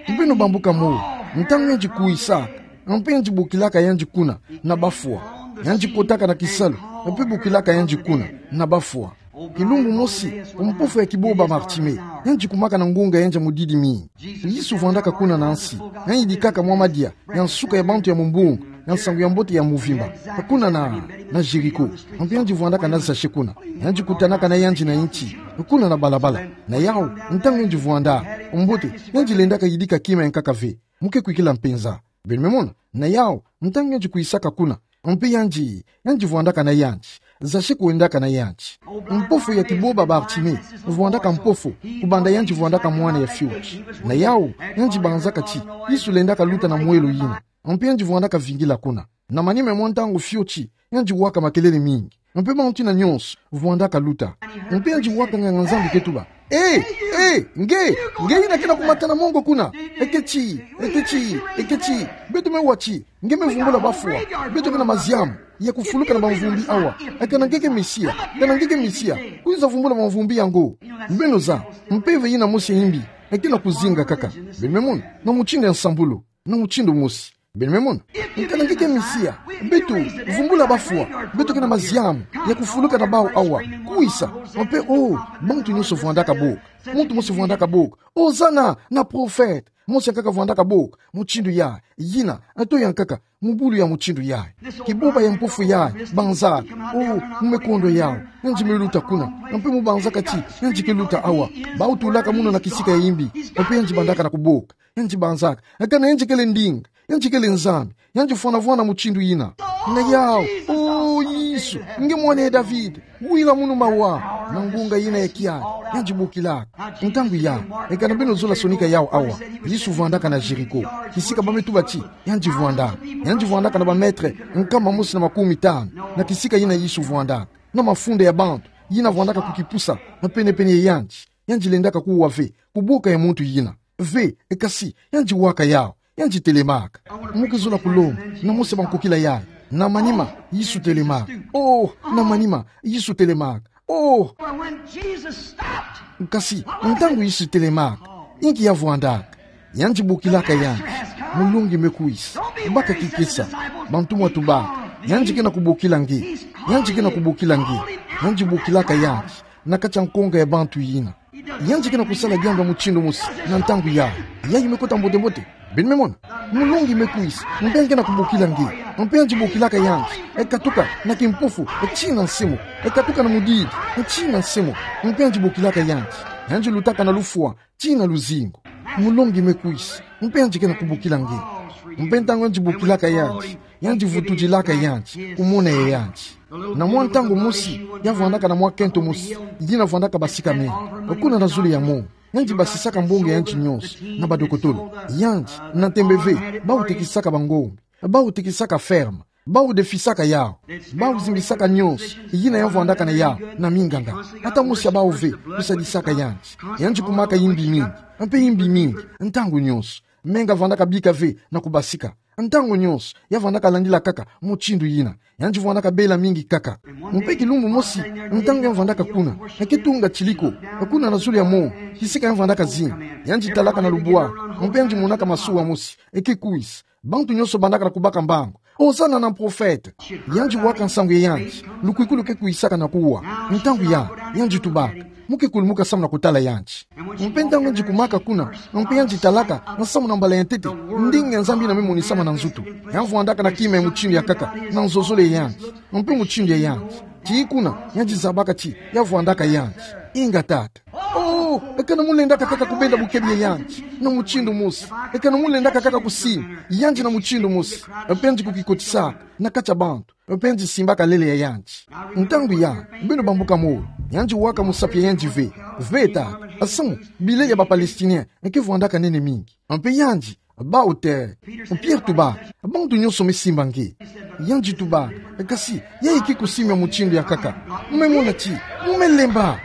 Mpe no bambuka mo, ntangu yandi kuisaka, mpe yandi bokilaka yandi kuna na bafwa. Yandi kotaka na kisalu, mpe bokilaka yandi kuna na bafwa. Kilumbu mosi, mpofu ya kiboba Bartime yandi kumaka na ngunga yandi ya mudidi mingi. Yesu vwandaka kuna na nsi, yandi yidikaka mwa madia ya nsuka ya bantu ya mumbungu ya nsangu ya mbote ya muvimba, kuna na, na Jeriko. Mpe yandi vwandaka na Zache kuna, yandi kutanaka na yandi na inti, kuna na balabala. Na yau, ntangu yandi vwanda, mbote, yandi lendaka yidika kima ya nkaka ve. Mu ke kuikila mpenza. Beno me mona, na yau, ntangu yandi kuisaka kuna, mpe yandi, yandi vwandaka na yandi, Zache kwendaka na yandi. Mpofu ya kiboba Bartime vwandaka mpofu, kubanda yandi vwandaka mwana ya fioti. Na yau, yandi banzaka ti Yesu lendaka luta na mwelo yina. Mpe yandi vwandaka vingila kuna. Na manima mwa ntangu fioti, yandi waka makelele mingi. Mpe bantu yina nyonso vwandaka luta. Mpe yandi waka nganga-Nzambi ke tuba: "E, e, nge, nge yina ke na kumata na mongo kuna. Eketi, eketi, eketi. Beto me wa ti nge me vumbula bafwa. Beto ke na maziamu ya kufuluka na bamvumbi awa. E kana nge ke Mesia, kana nge ke Mesia, kwiza vumbula bamvumbi yango." Beno zaba, mpeve yina mosi ya imbi e ke na kuzinga kaka. Beno me mona, na mutindu ya nsambulu, na mutindu mosi. Beno me mona, e kana nge ke Mesia, beto vumbula bafwa. Beto ke na maziamu ya kufuluka na bawu awa. Kwisa. Mpe, oh, bantu nyonso vwandaka boka. Muntu mosi vwandaka boka: "Ozana na profete." Mosi ya nkaka vwandaka boka mutindu yayi. Yina, nto ya nkaka, mubulu ya mutindu yayi. Kiboba ya mpofu yayi banzaka: "Oh, mu me kondwa yau. Yandi me luta kuna." Mpe mu banzaka ti yandi ke luta awa. Bawu tulaka muna na kisika ya imbi. Mpe yandi bandaka na kuboka. Yandi banzaka: "E kana yandi kele ndinga, yandi kele Nzambi, yandi fwanavwana mutindu yina. Na yau, oh Yesu, nge mwana ya David, wila munu mawa." Na ngunga yina ya kiadi, yandi bokilaka. Ntangu yayi, e kana beno zola sonika yau awa, Yesu vwandaka na Jeriko, kisika ba me tuba ti yandi vwandaka. Yandi vwandaka na ba mètre nkama mosi na makumi tanu, na kisika yina Yesu vwandaka, na mafunda ya bantu yina vwandaka kukipusa na pene-pene ya yandi. Yandi lendaka kuwa ve kuboka ya muntu yina. Ve, e kasi, yandi waka yau, yandi telemaka. Mu ke zola kulomba na mosi ya bankokila yayi: "Na manima, Yesu telemaka. Oh, na manima, Yesu telemaka. Oh." But when Jesus stopped, kasi, ntangu Yesu telemaka, inki ya vwandaka? Yandi bokilaka yandi: "Mulongi me kwisa. Baka kikesa. Bantumwa tubaka: 'Yandi ke na kubokila nge. Yandi ke na kubokila nge.'" Yandi bokilaka yandi na kati ya nkonga ya bantu yina. Yandi ke na kusala diambu ya mutindu mosi na ntangu yayi. Yayi me kota mbote-mbote. Beno me mona, "Mulongi me kwisa. Mpe yandi ke na kubokila nge." Mpe yandi bokilaka yandi: "E katuka na kimpofu, e tina nsimu. E katuka na mudidi, e tina nsimu." Mpe yandi bokilaka yandi: "Yandi lutaka na lufwa tina luzingu. Mulongi me kwisa. Mpe yandi ke na kubokila nge." Mpe ntangu yandi bokilaka yandi, yandi vutudilaka yandi ku mona ya yandi. Na mwa ntangu mosi, ya vwandaka na mwa kento mosi yina vwandaka basika menga, kuna na zulu ya mongo. Yandi basisaka mbongo ya yandi nyonso na badokotolo. Yandi, na ntembe ve, bawu tekisaka bangombe, bawu tekisaka ferme, bawu defisaka yau, bawu zimbisaka nyonso yina ya vwandaka na yau na minganga. Ata mosi ya bawu ve kusadisaka yandi. Yandi kumaka imbi mingi, mpe imbi mingi, ntangu nyonso. Menga vwandaka bika ve na kubasika. Ntangu nyonso, ya vwandaka landila kaka mutindu yina. Yandi vwandaka bela mingi kaka. Mpe kilumbu mosi, ntangu ya vwandaka kuna, e ke tunga tiliko, kuna na zulu ya mongo, kisika ya vwandaka zinga, yandi talaka na lubwaku, mpe yandi monaka masuwa mosi e ke kwisa. Bantu nyonso bandaka na kubaka mbangu: "Ozana na profete." Yandi waka nsangu ya yandi, lukwikilu ke kwisaka na kuwa. Ntangu yayi, yandi tubaka: "Mu ke kulumuka samu na kutala yandi." Mpe ntangu yandi kumaka kuna, mpe yandi talaka samu na mbala ya ntete ndinga ya Nzambi yina me monisama na nzutu, ya vwandaka na kima ya mutindu ya nkaka na nzozolo ya yandi, mpe mutindu ya yandi. Tii kuna, yandi zabaka ti ya vwandaka yandi. Inga tata. Oh, e kana mu lendaka kaka kubenda bukebi ya yandi na mutindu mosi. E kana mu lendaka kaka kusimba yandi na mutindu mosi, mpe yandi kukikotisaka na kati ya bantu, mpe yandi simbaka lele ya yandi. Ntangu yayi, beno bambuka molo, yandi waka musapi ya yandi ve. Ve tata, samu bilele ya ba Palestiniens e ke vwandaka nene mingi. Mpe yandi: "Bawu tê." Pierre tubaka: "Bantu nyonso me simba nge." Yandi tubaka: "Kasi yayi ke kusimba mutindu ya nkaka. Mu me mona ti mu me lemba."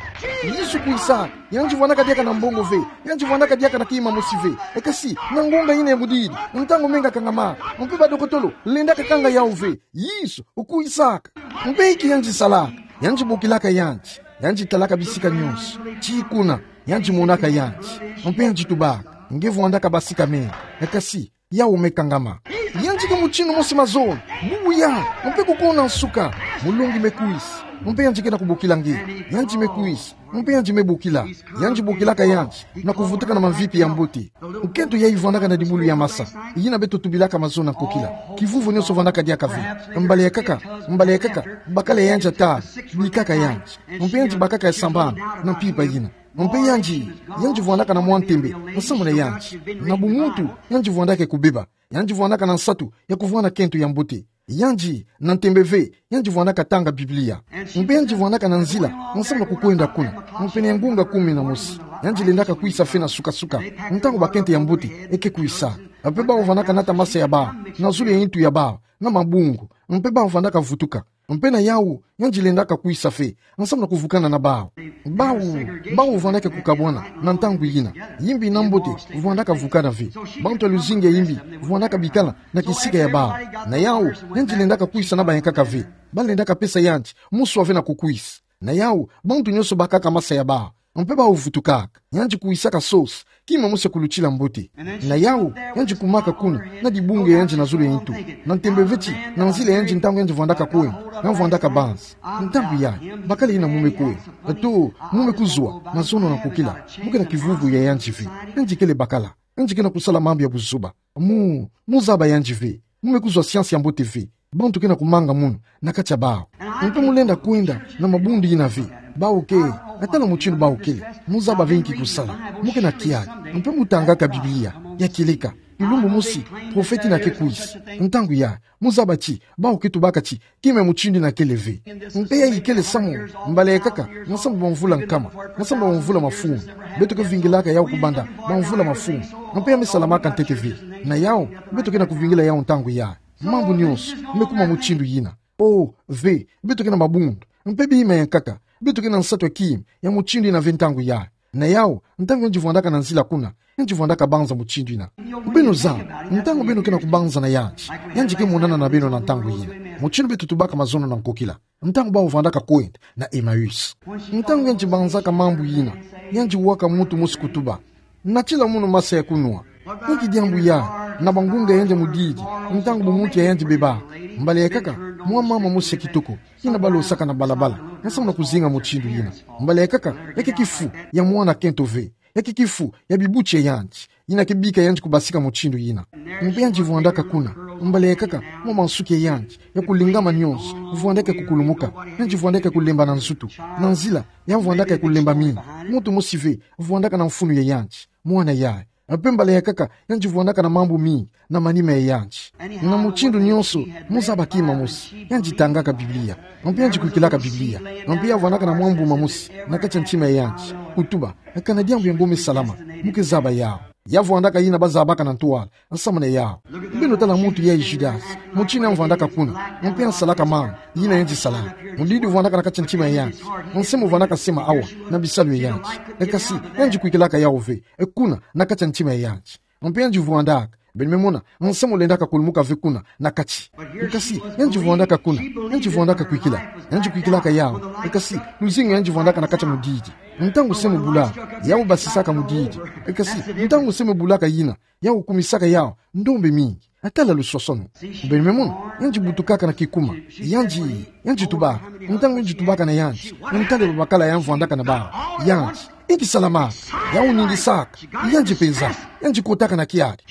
Yesu kwisaka. Yandi vwandaka diaka na mbongo ve. Yandi vwandaka diaka na kima mosi ve. E kasi, na ngonga ina ya mudidi, ntangu menga kangamaka, mpe badokotolo lendaka kanga yau ve. Yesu kwisaka. Mpe inki yandi salaka? Yandi bokilaka yandi. Yandi talaka bisika nyonso. Tii kuna, yandi monaka yandi. Mpe yandi tubaka: Nge vwandaka basika menga, e kasi yau me kangama. Yandi ke mutindu mosi mazono, bubu yandi, mpe kukona nsuka. Mulongi me kwisa. Mpe yandi ke na kubokila nge. Yandi me kwisa. Mpe yandi me bokila. Yandi bokilaka yandi na kuvutuka na mavipi ya mbote. Nkento yayi vwandaka na dibulu ya masa, yina beto tubilaka mazono na nkokila. Kivuvu nyonso vwandaka diaka ve. Mbala ya nkaka, mbala ya nkaka, bakala ya yandi ya tala bikaka yandi. Mpe yandi bakaka ya sambana na mpimpa yina. Mpe yandi, yandi vwandaka na mwa ntembe nsamu na yandi, na bumuntu yandi vwandaka kubeba. Yandi vwandaka na nsatu ya kuvwanda nkento ya mbote. Yandi, na ntembe ve, yandi vwandaka tanga Biblia. Mpe yandi vwandaka na nzila nsamu na kukwenda kuna, mpe na ngunga kumi na mosi. Yandi lendaka kwisa ve na nsuka-nsuka, ntangu bakento ya mbote eke kwisa. Mpe bawu vwandaka nata masa ya bawu na zulu ya ntu ya bawu na mabungu. Mpe bawu vwandaka vutuka. Mpe na yawu, yandi lendaka kwisa ve nsamu na kuvukana na bawu. Bawu, bawu vwandaka kukabwana na ntangu yina. Yimbi na mbote vwandaka vukana ve. Bantu ya luzingu ya yimbi vwandaka bikala na kisika ya bawu. Na yawu, yandi lendaka kwisa na bayankaka ve. Balendaka pesa yandi muswa ve na kukwisa. Na yawu, bantu nyonso bakaka masa ya bawu. Mpe bawu vutukaka. Yandi kwisaka sosa kima mosi ya kulutila mbote. Na yawu, yandi kumaka kuna na dibungu ya yandi na zulu ya ntu. Na ntembe ve ti na nzila ya yandi ntangu yandi vwandaka kwenda, yandi vwandaka banza. Ntangu yayi, bakala yina mu me kwenda, to mu me kuzwa, mazono na nkokila, mu ke na kivuvu ya yandi ve. Yandi kele bakala. Yandi ke na kusala mambu ya buzoba. Mu, mu zaba yandi ve. Mu me kuzwa siansi ya mbote ve. Bantu ke na kumanga munu na kati ya bawu. Mpe mu lenda kwenda na mabundu yina ve. Bawu ke, atala mutindu bawu kele. Mu zaba ve nki kusala. Mu ke na kiadi. Mpe mu tangaka Biblia ya kieleka. Kilumbu mosi, profeti yina ke kwisa. Ntangu yayi, mu zaba ti bawu ke tubaka ti kima ya mutindu yina kele ve. Mpe yayi kele samu, mbala ya nkaka, nsamu bamvula nkama, nsamu bamvula mafumu. Beto ke vingilaka yawu kubanda bamvula mafumu. Mpe ya me salamaka ntete ve. Na yawu, beto ke na kuvingila yawu ntangu yayi. Mambu nyonso me kuma mutindu yina. O, ve, beto ke na mabundu. Mpe bima ya nkaka, beto ke na nsatu ya kima ya mutindu yina ve ntangu yayi. Na yawu, ntangu yandi vwandaka na nzila kuna, yandi vwandaka banza mutindu yina. Beno zaba, ntangu beno ke na kubanza na yandi, yandi ke monana na beno na ntangu yina. Mutindu beto tubaka mazono na nkokila, ntangu bawu vwandaka kwenda na Emmaüs. Ntangu yandi banzaka mambu yina, yandi waka muntu mosi kutuba: Natila munu masa ya kunwa. Inki diambu yayi? Na bangunga ya yandi ya mudidi, ntangu bumuntu ya yandi bebaka, mbala ya nkaka, mwa mama mosi ya kitoko, yina balosaka na balabala nsamu na kuzinga mutindu yina. Mbala ya nkaka, ya ke kifu ya mwana kento ve. Ya ke kifu ya bibuti ya yandi, yina ke bika yandi kubasika mutindu yina. Mpe yandi vwandaka kuna, mbala ya nkaka, mwa mansuki ya yandi ya kulingama nyonso vwandaka kukulumuka. Yandi vwandaka kulemba na nzutu. Na nzila ya vwandaka kulemba mina, muntu mosi ve vwandaka na mfunu ya yandi, mwana yayi. Mpe mbala ya nkaka, yandi vwandaka na mambu mingi na manima ya yandi. Na mutindu nyonso, mu zaba kima mosi, yandi tangaka Biblia. Mpe yandi kwikilaka Biblia. Mpe ya vwandaka na mwa mbuma mosi na kati ya ntima ya yandi, kutuba: Kana diambu yango me salama, mu ke zaba yawu. Ya vwandaka yina bazabaka na ntwala nsamu na yawu. Beno tala muntu yayi Judas, mutindu ya vwandaka kuna, mpe ya salaka mambu yina yandi salaka. Mudidi vwandaka na kati ya ntima ya yandi. Nsemo vwandaka sema awa na bisalu ya yandi. E kasi, yandi kwikilaka yawu ve, e kuna na kati ya ntima ya yandi. Mpe yandi vwandaka, beno me mona, nsemo lendaka kulumuka ve kuna na kati. E kasi, yandi vwandaka kuna, yandi vwandaka kwikila. Yandi kwikilaka yawu. E kasi, luzingu ya yandi vwandaka na kati ya mudidi. Ntangu semo bulaka, yawu basisaka mudidi. E kasi, ntangu semo bulaka yina, yawu kumisaka yawu ndombe mingi. Atala luswaswanu. Beno me mona, yandi butukaka na kikuma. Yandi, yandi tubaka. Ntangu yandi tubaka na yandi, ntale babakala ya vwandaka na bawu. Yandi, inki salamaka? Yawu ningisaka. Yandi penza, yandi kotaka na kiadi.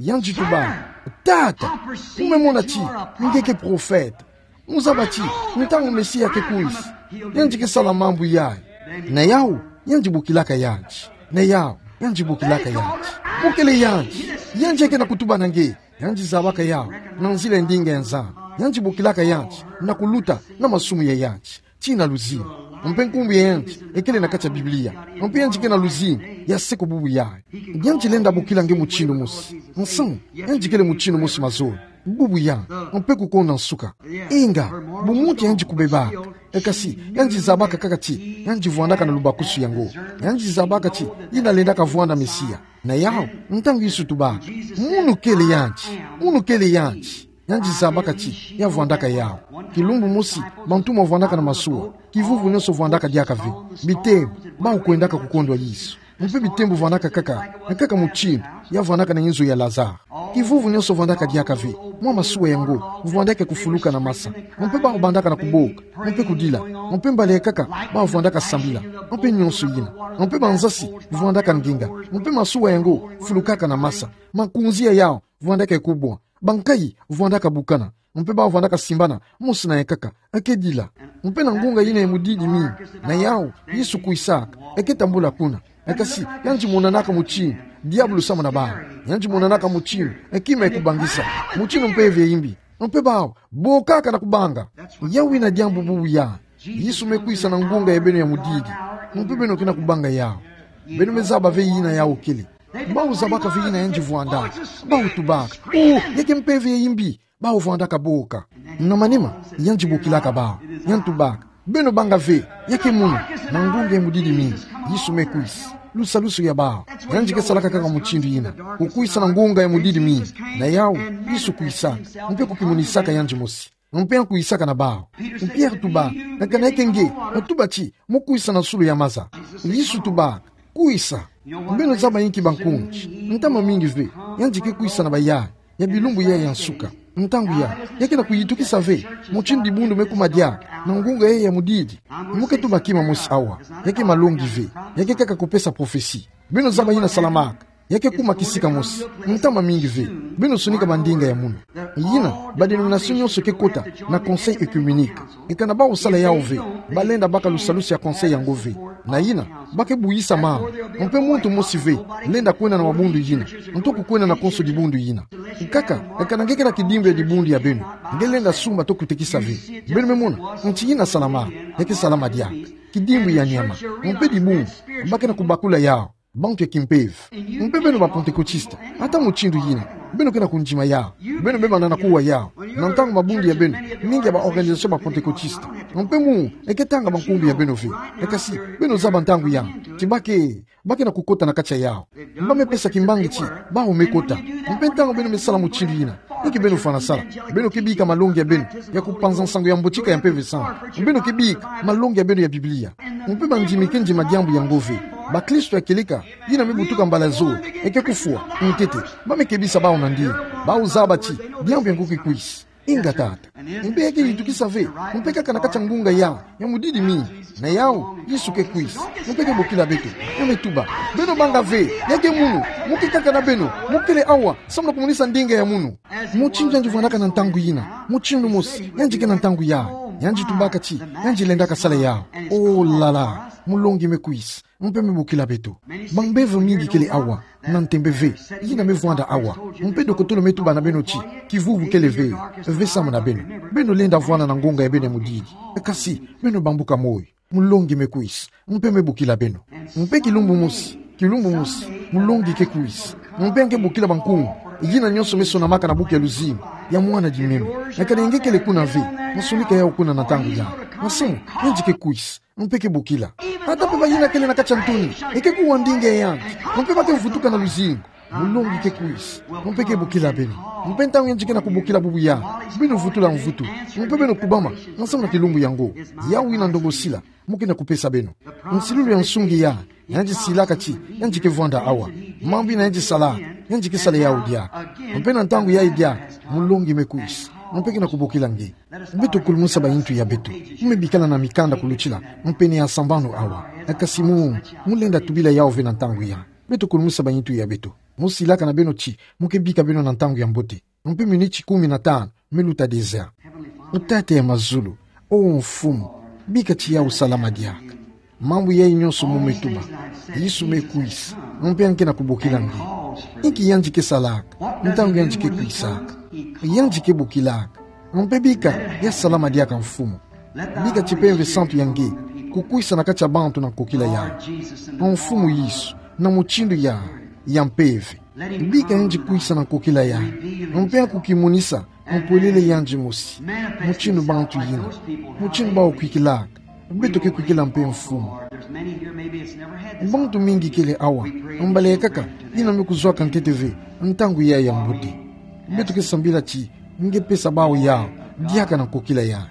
Yandi tuba: Tata, mu me mona ti nge ke profeta. Mu zaba ti ntangu Mesia ke kwisa, yandi ke sala mambu yayi. Na yawu, yandi bokilaka yandi. Na yawu, yandi bokilaka yandi. Bokele yandi. Yandi ke na kutuba na nge. Yandi zabaka yawu na nzila ya ndinga ya Nzambi. Yandi bokilaka yandi na kuluta na masumu ya yandi tii na luzingu. Mpe nkumbu ya yandi ekele na kati ya Biblia. Mpe yandi ke na luzingu ya seko bubu yayi. Yandi lenda bokila nge mutindu mosi. Nsamu, yandi kele mutindu mosi mazono, bubu yayi, mpe kukona nsuka. Inga, bumuntu yandi kubebaka, Ekasi, yandi zabaka kaka ti, yandi vwandaka na lubakusu yango. Yandi zabaka ti, yina lendaka vwanda Mesia. Na yau, ntangu Yesu tubaka: Mono kele yandi, mono kele yandi, yandi zabaka ti ya vwandaka yau. Kilumbu mosi, bantumwa vwandaka na masuwa. Kivuvu nionso vwandaka diaka ve. Bitembo, bawu kwendaka kukondwa Yesu. Mpe bitembo vwandaka kaka, kaka mutindu ya vwandaka na nzo ya Lazare. Kivuvu nionso vwandaka diaka ve. Mwa masuwa yango, vwandaka kufuluka na masa. Mpe bawu bandaka na kuboka, mpe kudila. Mpe mbala ya kaka, bawu vwandaka sambila. Mpe nionso yina. Mpe banzasi vwandaka nginga. Mpe masuwa yango, fulukaka na masa. Makunzi ya yau vwandaka kubwa. Bankayi vwandaka bukana. Mpe bawu vwandaka simbana, mosi na yankaka, eke dila. Mpe na ngunga yina ya mudidi mingi, na yau, Yesu kwisaka, eke tambula kuna. Ekasi, yandi monanaka mutindu diabulu samu na bawu. Yandi monanaka mutindu, e kima ya kubangisa. Mutindu mpeve ya imbi. Mpe bawu bokaka na kubanga. Yau yina diambu bubu ya. Yesu me kwisa na ngunga ya beno ya mudidi. Mpe beno ke na kubanga yau. Beno me zaba ve yina yau kele. Bawu zabaka ve yina yandi vwanda. Bawu tubaka: Oh, ya ke mpeve ya imbi. Bawu vwandaka boka. Na manima, yandi bokilaka bawu. Yandi tubaka: Beno banga ve, ya ke mono. Na ngunga ya mudidi mingi, Yesu me kwisa. Lusalusu ya bawu. Yandi ke salaka kaka mutindu yina. Kukwisa na ngunga ya mudidi mingi. Na yau, Yesu kwisaka. Mpe kukimonisaka yandi mosi. Mpe yandi kwisaka na bawu. Mpe Pierre tubaka: Kana ya ke nge, tuba ti, mu kwisa na sulu ya maza? Yesu tubaka: Kwisa. Beno zaba inki bankundi? Ntama mingi ve, yandi ke kwisa na bayayi ya bilumbu yayi ya nsuka. Ntangu yayi, ya ke na kuyitukisa ve mutindu dibundu me kuma diaka na ngunga yayi ya mudidi. Mu ke tuba kima mosi awa. Ya ke malongi ve. Ya ke kaka kupesa prophetie. Beno zaba yina salamaka. Ya ke kuma kisika mosi. Ntama mingi ve. Beno sonika bandinga ya munu. Yina, ba dénomination nionso ke kota na Conseil œcuménique. E kana bawu sala yau ve, balenda baka lusalusu ya conseil yango ve. Na yina, ba ke buyisa mambu. Mpe muntu mosi ve lenda kwenda na mabundu yina, nto kukwenda na konso dibundu yina. Nkaka, e kana nge ke na kidimbu ya dibundu ya beno, nge lenda sumba to kutekisa ve. Beno me mona nti yina salamaka. Ya ke salama diaka. Kidimbu ya nyama. Mpe dibundu, ba ke na kubakula yau. Bantu ya kimpeve. Mpe beno ba Pentecôtiste, ata mutindu yina, beno ke na kundima yau. Beno bemana na kuwa yau. Na ntangu mabundu ya beno, mingi ya ba organisation ba Pentecôtiste. Mpe mu, e ke tanga bankumbu ya beno ve. Ekasi, beno zaba ntangu yau. Ti ba ke, ba ke na kukota na kati ya yau. Ba me pesa kimbangi ti, bawu me kota. Mpe ntangu beno me sala mutindu yina, inki beno fwana sala? Beno ke bika malongi ya beno ya kupanza nsangu ya mbotika ya Mpeve Santu. Beno ke bika malongi ya beno ya Biblia. Mpe bandimi ke ndima diambu yango ve. Bakristo ya kieleka yina me butuka mbala zole, e ke kufwa, ntete. Ba me kebisa bawu na ndinga. Bawu zaba ti, diambu yango ke kwisa. Inga tata. Mpe ya ke yitukisa ve. Mpe kaka na kati ya ngunga ya, ya mudidi mingi. Na yau, Yesu ke kwisa. Mpe ke bokila beto. Ya me tuba: Beno banga ve. Ya ke munu. Mu ke kaka na beno. Mu kele awa. Samu na kumonisa ndinga ya munu. Mutindu yandi vwandaka na ntangu yina, mutindu mosi yandi ke na ntangu yayi. Yandi tubaka ti, yandi lendaka sala yau. Oh là là, mulongi me kwisa. Mpe me bokila beto. Bampeve mingi kele awa, na ntembe ve, yina me vwanda awa. Mpe dokotolo me tuba na beno ti, kivuvu kele ve, ve samu na beno. Beno lenda vwanda na ngunga ya beno ya mudidi. Kasi, beno bambuka moyo. Mulongi me kwisa, mpe me bokila beno. Mpe kilumbu mosi, kilumbu mosi, mulongi ke kwisa. Mpe ya ke bokila bankumbu yina nionso me sonamaka na buku ya luzingu ya mwana di meme. Na kana nge kele kuna ve, masonika yau kuna na ntangu yayi. Masamu, yandi ke kwisa, mpe ke bokila. Ata pe bayina kele na kati ya ntoni, e ke kuwa ndinga ya yandi. Mpe ba ke vutuka na luzingu. Mulongi ke kwisa, mpe ke bokila beno. Mpe ntangu yandi ke na kubokila bubu yayi, beno vutula mvutu. Mpe beno kubama, masamu na kilumbu yango. Yau yina ndongo sila mu ke na kupesa beno. Nsilulu ya nsungi ya, yandi silaka ti, yandi ke vwanda awa. Mambu yina yandi salaka, yandi ke sala yau diaka. Mpe na ntangu yayi diaka, mulongi me kwisa, mpe ke na kubokila nge. Beto kulumusa bayintu ya beto. Mu me bikala na mikanda kulutila, mpe ni ya sambanu awa. Kasi mu, mu lenda tubila yau ve na ntangu yayi. Beto kulumusa bayintu ya beto. Mu silaka na beno ti, mu ke bika beno na ntangu ya mbote. Mpe miniti kumi na tanu me luta deza. Tata ya mazulu, o Mfumu, bika ti yau salama diaka. Mambu yayi nionso mu me tuba, Yesu me kwisa, mpe ya ke na kubokila nge. Inki yandi ke salaka, ntangu yandi ke kwisaka? Yandi ke bokilaka. Mpe bika ya salama diaka, Mfumu. Bika ti Mpeve Santu ya nge kukwisa na kati ya bantu na nkokila yayi. O Mfumu Yesu, na mutindu ya, ya mpeve. Bika yandi kwisa na nkokila yayi. Mpe ya kukimonisa Mpwelele yandi mosi. Mutinu bantu yina. Mutinu bawu kwikilaka. Beto ke kwikila mpe mfumu. Bantu mingi kele awa. Mbala ya kaka, yina me kuzwaka ntete ve ntangu ya ya mbote. Beto ke sambila ti nge pesa bawu yawu diaka na nkokila yayi.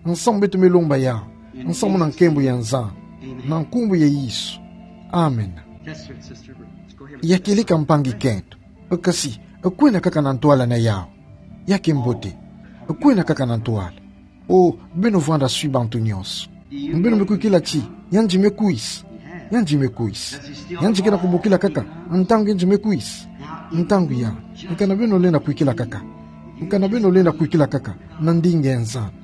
Nsamu beto me lomba yawu nsamu na nkembo ya Nzambi, na nkumbu ya Yesu. Amen. Ya kieleka mpangi kento. Kasi, kwenda kaka na ntwala na yawu. Ya ke mbote. Kwenda kaka na ntwala. O, beno vwanda swi bantu nyonso. Beno me kwikila ti yandi me kwisa. Yandi me kwisa. Yandi ke na kubokila kaka ntangu yandi me kwisa. Ntangu ya, nkana beno lenda kwikila kaka. Nkana beno lenda kwikila kaka na ndinga ya Nzambi.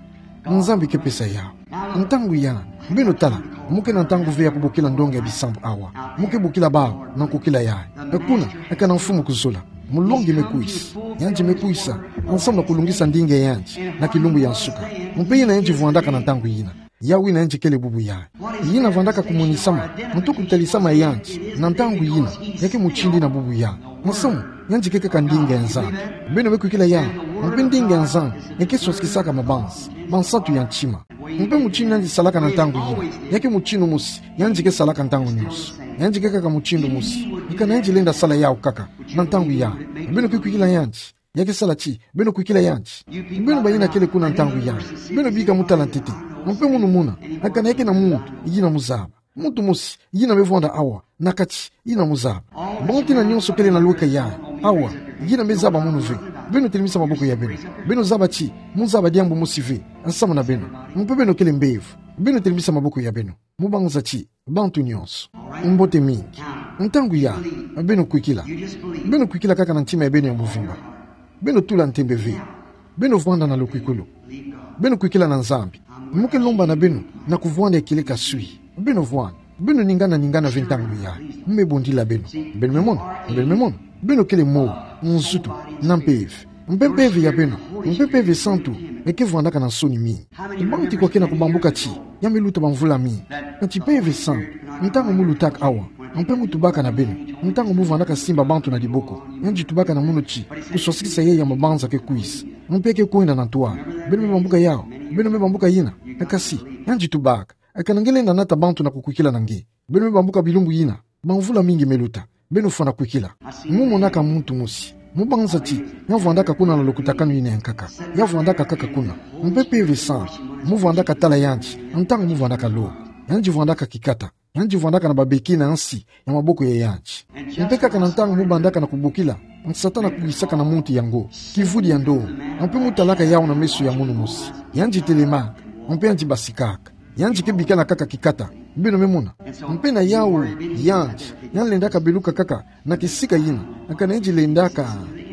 Nzambi ke pesa yawu. Ntangu ya, beno tala, mu ke na ntangu ve ya kubokila ndonga ya bisambu awa. Mu ke bokila bawu na nkokila yayi. Kuna, kana mfumu kuzola. Mulongi me kwisa. Yandi me kwisa nsamu na kulungisa ndinga ya yandi na kilumbu ya nsuka. Mpe yina yandi vwandaka na ntangu yina. Yawu yina yandi kele bubu yayi. Yina vwandaka kumonisama, ntu kutalisama ya yandi na ntangu yina. Ya ke mutindi na bubu yayi. Nsamu, yandi ke kaka ndinga ya Nzambi. Beno me kwikila yawu. Mpe ndinga ya Nzambi e ke swasikisaka mabanza, bansatu ya ntima. Mpe mutinu yandi salaka na ntangu yina, ya ke mutinu mosi yandi ke salaka ntangu nyonso. Yandi ke kaka mutinu mosi. Kana yandi lenda sala yawu kaka na ntangu yayi. Beno ke kwikila yandi. Ya ke sala ti beno kwikila yandi. Beno bayina kele kuna ntangu yayi, beno bika mu tala ntete. Mpe munu mona, kana ya ke na muntu yina mu zaba. Muntu mosi yina me vwanda awa na kati, yina mu zaba. Bantu yina nyonso kele na lweka yayi awa, yina me zaba munu ve. Beno telemisa maboko ya beno. Beno zaba ti mu zaba diambu mosi ve nsamu na beno. Mpe beno kele mpeve. Beno telemisa maboko ya beno. Mu banza ti bantu nyonso. Mbote mingi. Ntangu yayi, beno kwikila. Beno kwikila kaka na ntima ya beno ya mvimba. Beno tula ntembe ve. Beno vwanda na lukwikulu. Beno kwikila na Nzambi. Mu ke lomba na beno na kuvwanda ya kieleka swi. Beno vwanda. Beno ningana ningana ve ntangu yayi. Me bondila beno. Beno me mona. Beno me mona. Beno kele moyo, nzutu, na mpeve. Mpe mpeve ya beno, mpe Mpeve Santu, e ke vwandaka na nsoni mingi. Bantu kwa ke na kubambuka ti ya me luta bamvula mingi. Kanti Mpeve Santu, ntangu mu lutaka awa, mpe mu tubaka na beno, ntangu mu vwandaka simba bantu na diboko, yandi tubaka na munu ti kuswasikisa yai ya mabanza ke kwisa. Mpe ke kwenda na ntwala. Beno me bambuka yawu. Beno me bambuka yina. Kasi, yandi tubaka. Kana nge lenda nata bantu na kukwikila na nge, beno me bambuka bilumbu yina. Bamvula mingi me luta. Beno fwana kwikila. Mu monaka muntu mosi. Mu banza ti ya vwandaka kuna na lukutakanu yina ya nkaka. Ya vwandaka kaka kuna. Mpe Mpeve Santu mu vwandaka tala yandi ntangu mu vwandaka loba. Yandi vwandaka kikata. Yandi vwandaka na babekina nsi ya maboko ya yandi. Mpe kaka na ntangu mu bandaka na kubokila, Satana kwisaka na muntu yango, kivudi ya ndombe. Mpe mu talaka yawu na meso ya munu mosi, yandi telemaka, mpe yandi basikaka. Yandi ke bikana kaka kikata. Beno me mona. Mpe na yawu, yandi, yandi lendaka beluka kaka na kisika yina. Kana yandi lendaka,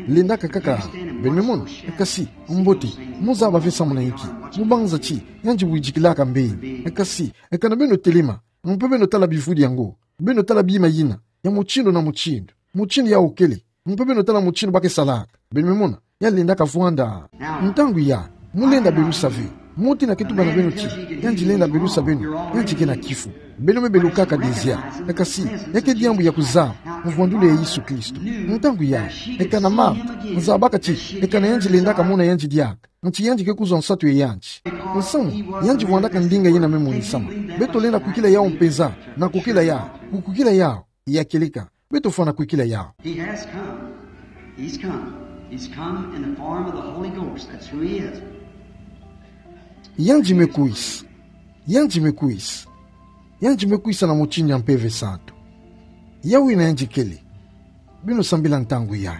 lendaka kaka. Beno me mona. Kasi, mbote, mu zaba ve samu na inki. Mu banza ti yandi bwidikilaka mbeni. Kasi, kana beno telema, mpe beno tala bivudi yango. Beno tala bima yina ya mutindu na mutindu. Mutindu yawu kele. Mpe beno tala mutindu ba ke salaka. Beno me mona. Ya lendaka vwanda. Ntangu ya, mu lenda belusa ve. Muntu yina ke tuba na beno ti yandi lenda belusa beno, yandi ke na kifu. Beno me belukaka déjà. Kasi, ya ke diambu ya kuzaba mvwandulu ya Yesu Kristo. Ntangu ya, kana Marta, nzabaka ti kana yandi lendaka mona yandi diaka, nti yandi ke kuzwa nsatu ya yandi. Nsamu, yandi vwandaka ndinga yina me monisama. Beto lenda kwikila yawu mpenza, na kwikila yawu, kukwikila yawu, ya kieleka. Beto fwana kwikila yawu. He has come. He's come. He's come in the form of the Holy Ghost. That's who he is. Yandi me kwisa. Yandi me kwisa. Yandi me kwisa na mutindu ya Mpeve Santu. Yawu yina yandi kele. Beno sambila ntangu yayi.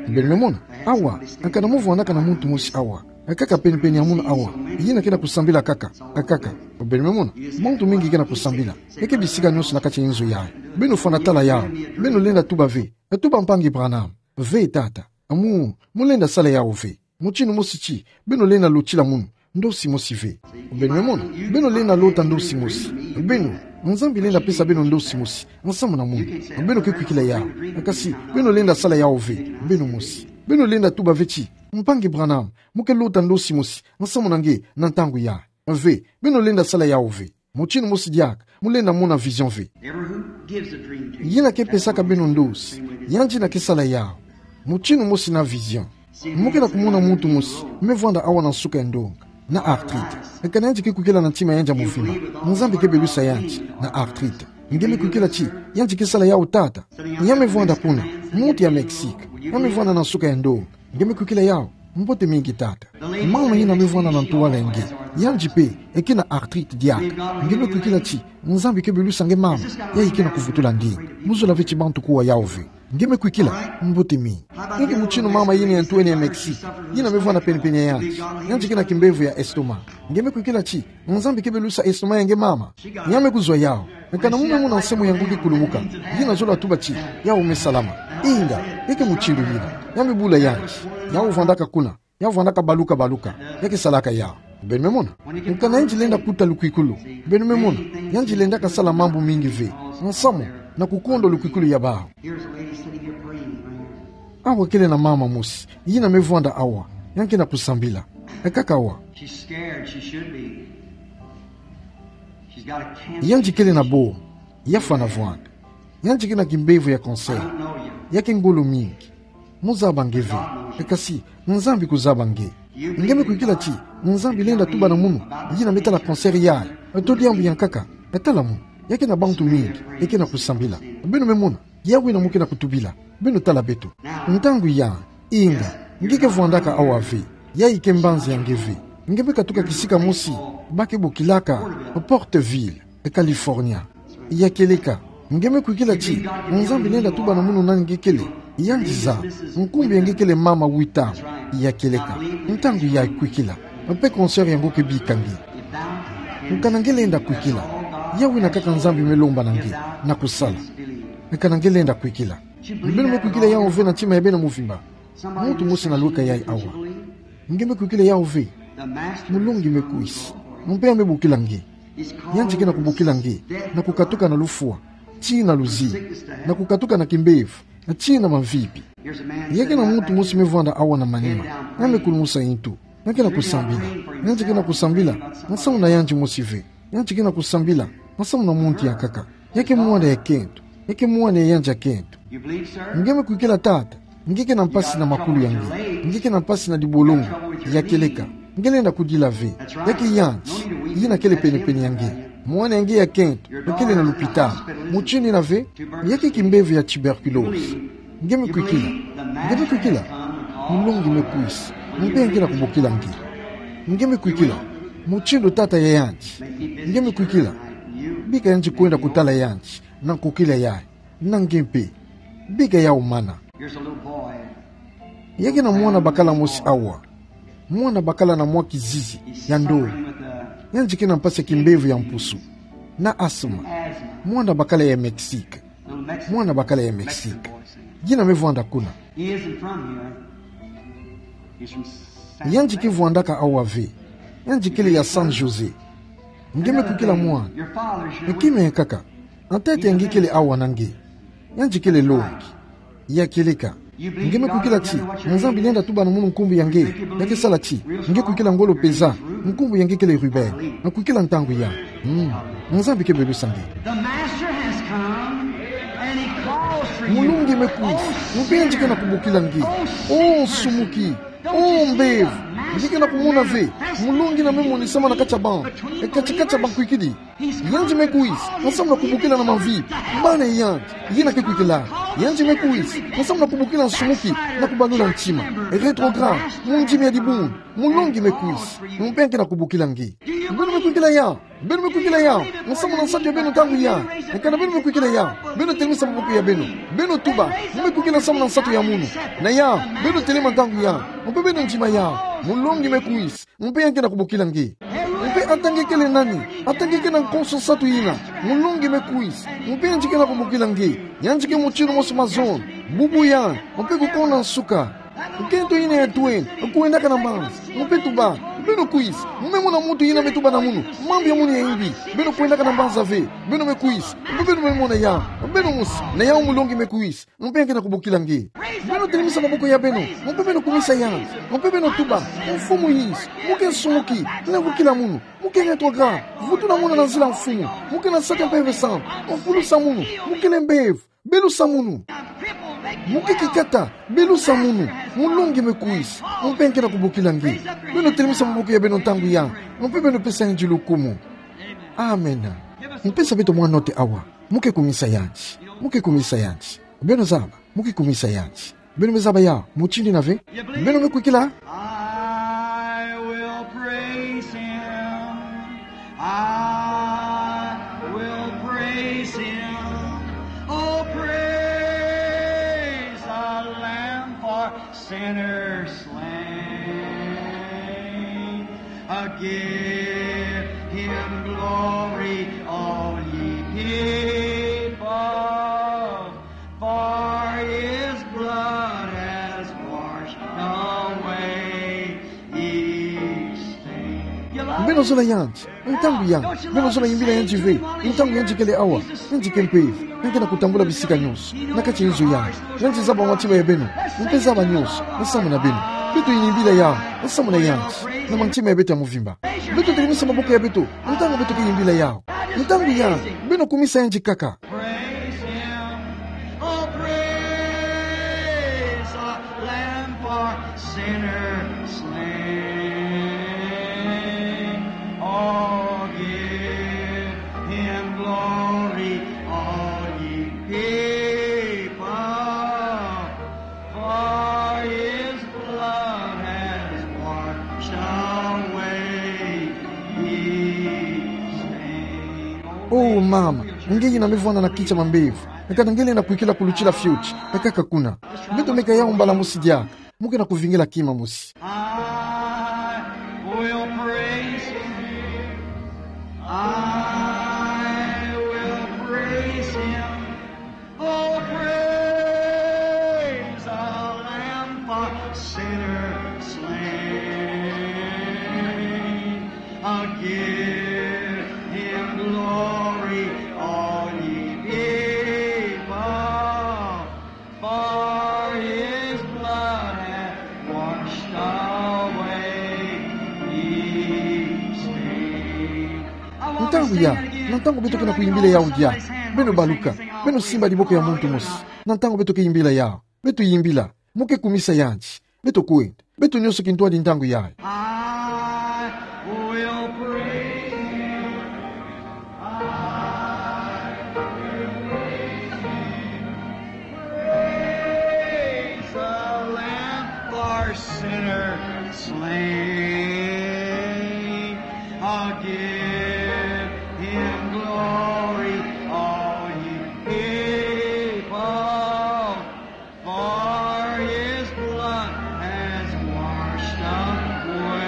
Beno me mona. Awa, kana mu vwandaka na muntu mosi awa. Kaka penipeni ya munu awa. Yina ke na kusambila kaka. Kaka. Beno me mona. Muntu mingi ke na kusambila. Ya ke bisika nyonso na kati ya nzo yayi. Beno fwana tala yawu. Beno lenda tuba ve. Tuba mpangi Branham. Ve tata. Mu, mu lenda sala yawu ve. Mutindu mosi ti beno lenda lotila munu. Ndosi mosi ve. Beno me mona. Beno lenda lota ndosi mosi. Beno, Nzambi lenda pesa beno ndosi mosi. Nsamu na munu. Beno ke kwikila yawu. Kasi, beno lenda sala yawu ve. Beno mosi. Beno lenda tuba ve ti, mpangi Branham, mu ke lota ndosi mosi. Nsamu na nge, na ntangu yayi. Ve, beno lenda sala yawu ve. Mutindu mosi diaka, mu lenda mona vision ve. Yina ke pesaka beno ndosi, yandi yina ke sala yawu. Mutindu mosi na vision. Mu ke na kumona muntu mosi me vwanda awa na nsuka ya ndonga, na arthrite. Eka na yandi ke kwikila na ntima ya yandi ya mvimba, Nzambi ke belusa yandi na arthrite. Nge me kwikila ti yandi ke sala yau tata. Ya me vwanda kuna, muntu ya Mexique, ya me vwanda na nsuka ya ndonga. Nge me kwikila yau. Mbote mingi tata. Mama yina me vwanda na ntwala ya nge, yandi pe eke na arthrite diaka. Nge me kwikila ti Nzambi ke belusa nge mama. Yayi ke na kuvutula ndinga. Mu zola ve ti bantu kuwa yau ve. Nge me kwikila. Mbote mingi. Inki mutinu mama yina ya ntwene ya Mexique, yina me vwanda pene-pene ya yandi, yandi ke na kimbevo ya estomac. Nge me kwikila ti Nzambi ke belusa estomac ya nge mama. Ya me kuzwa yau. Eka na mu me mona nsemo ya nge ke kulumuka, yina zola tuba ti yau me salama. Inga, eke mutindu yina. Ya me bula yandi. Yau vwandaka kuna. Ya vwandaka baluka-baluka. Ya ke salaka yau. Beno me mona. Eka na yandi lenda kuta lukwikulu, beno me mona, yandi lendaka sala mambu mingi ve, nsamu na kukondo lukwikulu ya bawu. Awa kele na mama mosi yina me vwanda awa. Yandi ke na kusambila. Ekaka awa. She's scared. She should be. She's got a cancer. Yandi kele na bo. Ya fwana vwanda. Yandi ke na kimbevo ya cancer. I don't know you. Ya ke ngolo mingi. Mu zaba nge ve. Ekasi Nzambi kuzaba nge. Nge me kwikila ti Nzambi lenda tuba na munu yina me tala cancer yayi. To diambu ya nkaka. Tala munu. Ya ke na bantu mingi. Eke na kusambila. Beno me mona. Yau yina mu ke na kutubila. Beno tala beto. Ntangu ya, inga, nge ke vwandaka awa ve. Yayi ke mbanzi ya nge ve. Nge me katuka kisika mosi ba ke bokilaka Porterville, California. Ya kieleka. Nge me kwikila ti Nzambi lenda tuba na munu nani nge kele. Yandi zaba. Nkumbu ya nge kele mama Wita. Ya kieleka. Ntangu ya kwikila. Mpe cancer yango ke bika nge. Eka na nge lenda kwikila. Yau yina kaka Nzambi me lomba na nge na kusala. Eka na nge lenda kwikila. Beno me kwikila yau ve na ntima ya beno mvimba. Muntu mosi na lweka yayi awa. Nge me kwikila yau ve. Mulongi me kwisa. Mpe ya me bokila nge. Yandi ke na kubokila nge na kukatuka na lufwa, tii na luzingu, na kukatuka na kimbevo, tii na mavimpi. Ya ke na muntu mosi me vwanda awa na manima. Ya me kulumusa ntu. Ya ke na kusambila. Yandi ke na kusambila nsamu na yandi mosi ve. Yandi ke na kusambila nsamu na muntu ya nkaka. Ya ke mwana ya kento. Ya ke mwana ya yandi ya kento. Nge me kwikila tata. Nge ke na mpasi na makulu ya nge. Nge ke na mpasi na dibolongo. Ya kieleka. Nge lenda kudila ve. Ya ke yandi yina kele pene-pene ya nge. Mwana ya nge ya kento. Ya kele na lupitalu. Mutindu yina ve. Ya ke kimbevo ya tuberculose. Nge me kwikila. Nge me kwikila. Mulongi me kwisa. Mpe ya ke na kubokila nge. Nge me kwikila. Mutindu tata ya yandi. Nge me kwikila. Bika yandi kwenda kutala yandi na nkokila yayi. Na nge mpe. Bika yau mana. Ya ke na mwana bakala mosi awa. Mwana bakala na mwa kizizi ya ndolo. Yandi ke na mpasi ya kimbevo ya mpusu. Na asthme. Mwana bakala ya Mexique. Mwana bakala ya Mexique. Yina me vwanda kuna. Yandi ke vwandaka awa ve. Yandi kele ya San Jose. Nge me kwikila mwana. Kima ya nkaka. Ntete ya nge kele awa na nge. Yandi kele longi. Ya kieleka. Nge me kwikila ti Nzambi lenda tuba na munu nkumbu ya nge. Ya ke sala ti nge kwikila ngolo peza. Nkumbu ya nge kele Ruben. Na kwikila ntangu ya. Mm. Nzambi ke belusa nge. The master has come and he calls for you. Mulongi me kwisa. Mpe yandi ke na kubokila nge. O nsumuki. O mbevo. Nge ke na kumona ve. Mulongi yina me monisama na kati ya bantu. E kati-kati ya bankwikidi. Yandi me kwisa nsamu na kubokila na mavimpi. Bana ya yandi yina ke kwikila. Yandi me kwisa nsamu na kubokila nsumuki na kubalula ntima. Rétrograde, mundimi ya dibundu. Mulongi me kwisa. Mpe ya ke na kubokila nge. Beno me kwikila yau. Beno me kwikila yau. Nsamu na nsatu ya beno ntangu ya. Eka na beno me kwikila yau, beno telemisa maboko ya beno. Beno tuba. Mu me kwikila nsamu na nsatu ya munu. Na yau, beno telema ntangu ya. Mpe beno ndima yau. Mulongi me kwisa. Mpe ya ke na kubokila nge. Mpe ata nge kele nani, ata nge kele na nkonso nsatu yina, mulongi me kwisa. Mpe yandi ke na kubokila nge. Yandi ke mutindu mosi mazono, bubu yandi, mpe kukonda nsuka. Nkento yina ya twene, kwendaka na mbanza. Mpe tuba, beno kwisa. Mu me mona muntu yina me tuba na munu mambu ya munu ya mbi. Beno kwendaka na mbanza ve. Beno me kwisa. Mpe beno me mona yau. Beno mosi, na yau mulongi me kwisa. Mpe ya ke na kubokila nge. Beno telemisa maboko ya beno. Mpe beno kumisa yandi. Mpe beno tuba: Mfumu Yesu, mu ke nsumuki. Na bokila munu. Mu ke rétrograde. Vutula munu na nzila, Mfumu. Mu ke na nsatu ya Mpeve Santu. Ofulusa munu. Mu kele mbevo. Belusa munu. Mo ke kikata, belusa munu, mo longi me kwisi, mo mpe nge na kubokila nge. Beno telemisa maboko ya beno ntangu ya, mo mpe beno pesa nge lukumu. Amen. Mo pesa beto mwa note awa. Mo ke kumisa yandi. Mo ke kumisa yandi. Beno zaba, mo ke kumisa yandi. Beno me zaba ya, mutindu ina ve. Beno me kwikila. I will praise him. I will praise him. Oh, praise the Lamb for sinners slain. Uh, give him glory, all ye people, for his blood has washed away each stain. Beno zola yandi. Ntangu ya, beno zola yimbila yandi ve, ntangu yandi kele awa, yandi ke mpeve, yandi ke na kutambula bisika nyonso, na kati nzo ya, yandi zaba mantima ya beno, mpe zaba nyonso, nsamu na beno. Beto yimbila ya, nsamu na yandi, na mantima ya beto ya mvimba. Beto telemisa maboko ya beto, ntangu beto ke yimbila ya. Ntangu ya, beno kumisa yandi kaka. Praise him. Oh, praise the Lamb for sinners slain. Oh, give him glory, all ye people, for his blood has washed away each stain. Oh, mama, nge ina mevwanda na kiti ya mambevo. Ekana nge lenda kwikila kulutila fioti, ekaka kuna. Beto meka yau mbala mosi diaka. Mo ke na kuvingila kima mosi. I will praise him. I will praise him. Oh, praise the Lamb for sinners slain. I'll give him glory, all ye people, for his blood hath washed away each stain. Ntangu ya, na ntangu beto ke na kuyimbila yau dia, beno baluka, beno simba diboko ya muntu mosi. Na ntangu beto ke yimbila yau, beto yimbila, mo ke kumisa yandi, beto kwenda, beto nyonso kintwadi ntangu ya. I will praise him. I will praise him. Praise the Lamb for sinners slain. I'll give him glory, all ye people, for his blood has washed away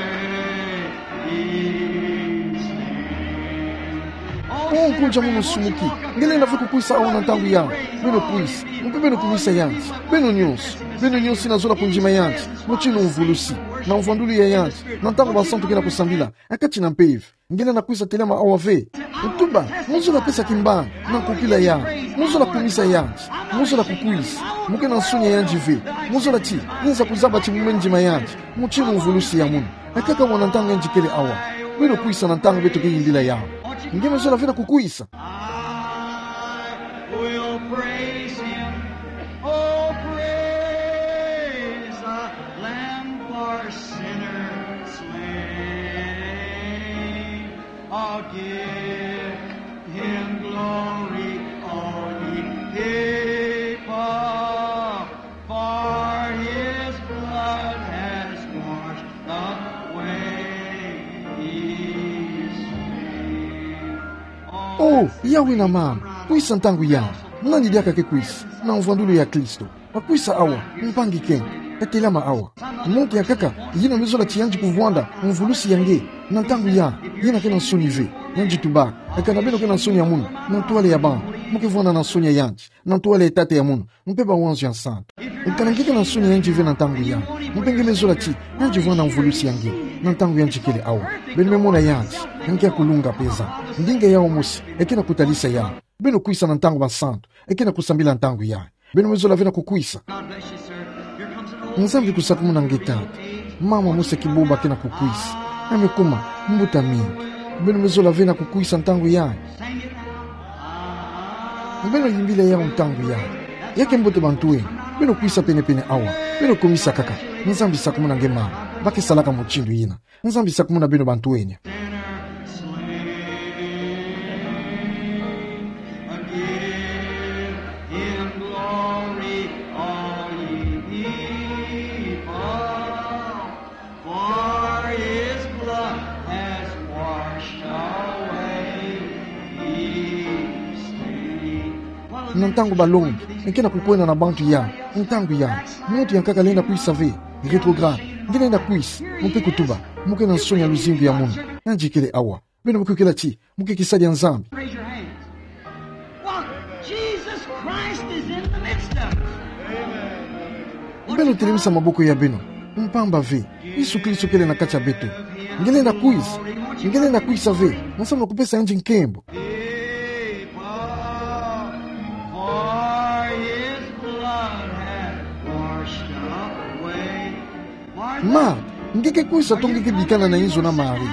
each stain. Oh, nkunja mono sumuki, nge lenda ve kukwisa awa na ntangu ya. Beno kwisa, mpe beno kumisa yandi, beno nyonso, beno nyonso ina zola kundima yandi, mutindu mvulusi, na mvwandulu ya yandi, na ntangu bansantu ke na kusambila, ha kati na mpeve. Nge lenda kwisa telama awa ve. Ntuba, mo zola pesa kimbangi, na nkokila ya. Mo zola kumisa yandi. Mo zola kukwisa. Mo ke na nsoni ya yandi ve. Mo zola ti, nge nza kuzaba ti mo me ndima yandi. Mutindu mvulusi ya munu. Ekaka wana ntangu yandi kele awa. Beno kwisa na ntangu beto ke yimbila yau. Nge me zola ve na kukwisa. I will praise him. Oh, praise the Lamb for sinners slain. I'll give him glory, all ye people, for his blood has washed away each stain. Oh, yawe na mama, kwisa ntangu ya. Nani diaka ke kwisa, na mvwandulu ya Kristo. Akwisa awa, mpangi kenge, e telama awa. Moke akaka, yina me zola ti yandi kuvwanda mvulusi ya nge, na ntangu ya, yina ke na nsoni ve, yandi tubaka, ekana beno ke na nsoni ya munu, na ntwala ya bambu, mo ke vwanda na nsoni ya yandi, na ntwala ya Tata ya munu, mpe ba wanzu ya nsantu. Ekana nge ke na nsoni ya yandi ve na ntangu ya, mpe nge me zola ti, yandi vwanda mvulusi ya nge, na ntangu yandi kele awa. Beno me mona yandi, yandi ke kulunga peza. Ndinga yau mosi, e ke na kutalisa yau. Beno kwisa na ntangu bansantu, e ke na kusambila ntangu ya. Beno me zola ve na kukwisa. Nzambi kusakumuna nge tata. Mama mosi ya kiboba ke na kukwisa. Ame kuma, mbuta mingi. Beno me zola ve na kukwisa ntangu ya. Beno yimbila yau ntangu ya. Ya ke mbote bantu eno. Beno kwisa pene-pene awa. Beno kumisa kaka. Nzambi sakumuna nge malu. Ba ke salaka mutindu yina. Nzambi sakumuna beno bantu enya. Na ntangu balongi, nge kena kukwenda na bantu ya, ntangu ya, muntu yankaka lenda kwisa ve, rétrograde, nge lenda kwisa, mu mpe kutuba, mu kena nsoni ya luzingu ya munu, yandi kele awa. Beno bu kukila ti, mu ke kisa dia Nzambi. Raise your hands. Well, Jesus Christ is in the midst of us. Beno telemisa maboko ya beno. Mpamba ve, Yesu Kristo kele na kati ya beto. Nge lenda kwisa. Nge lenda kwisa ve. Nge samu na kupesa yandi nkembo. For his blood hath washed away. Ma, nge ke kwisa to nge ke bikana na inzo na Marie.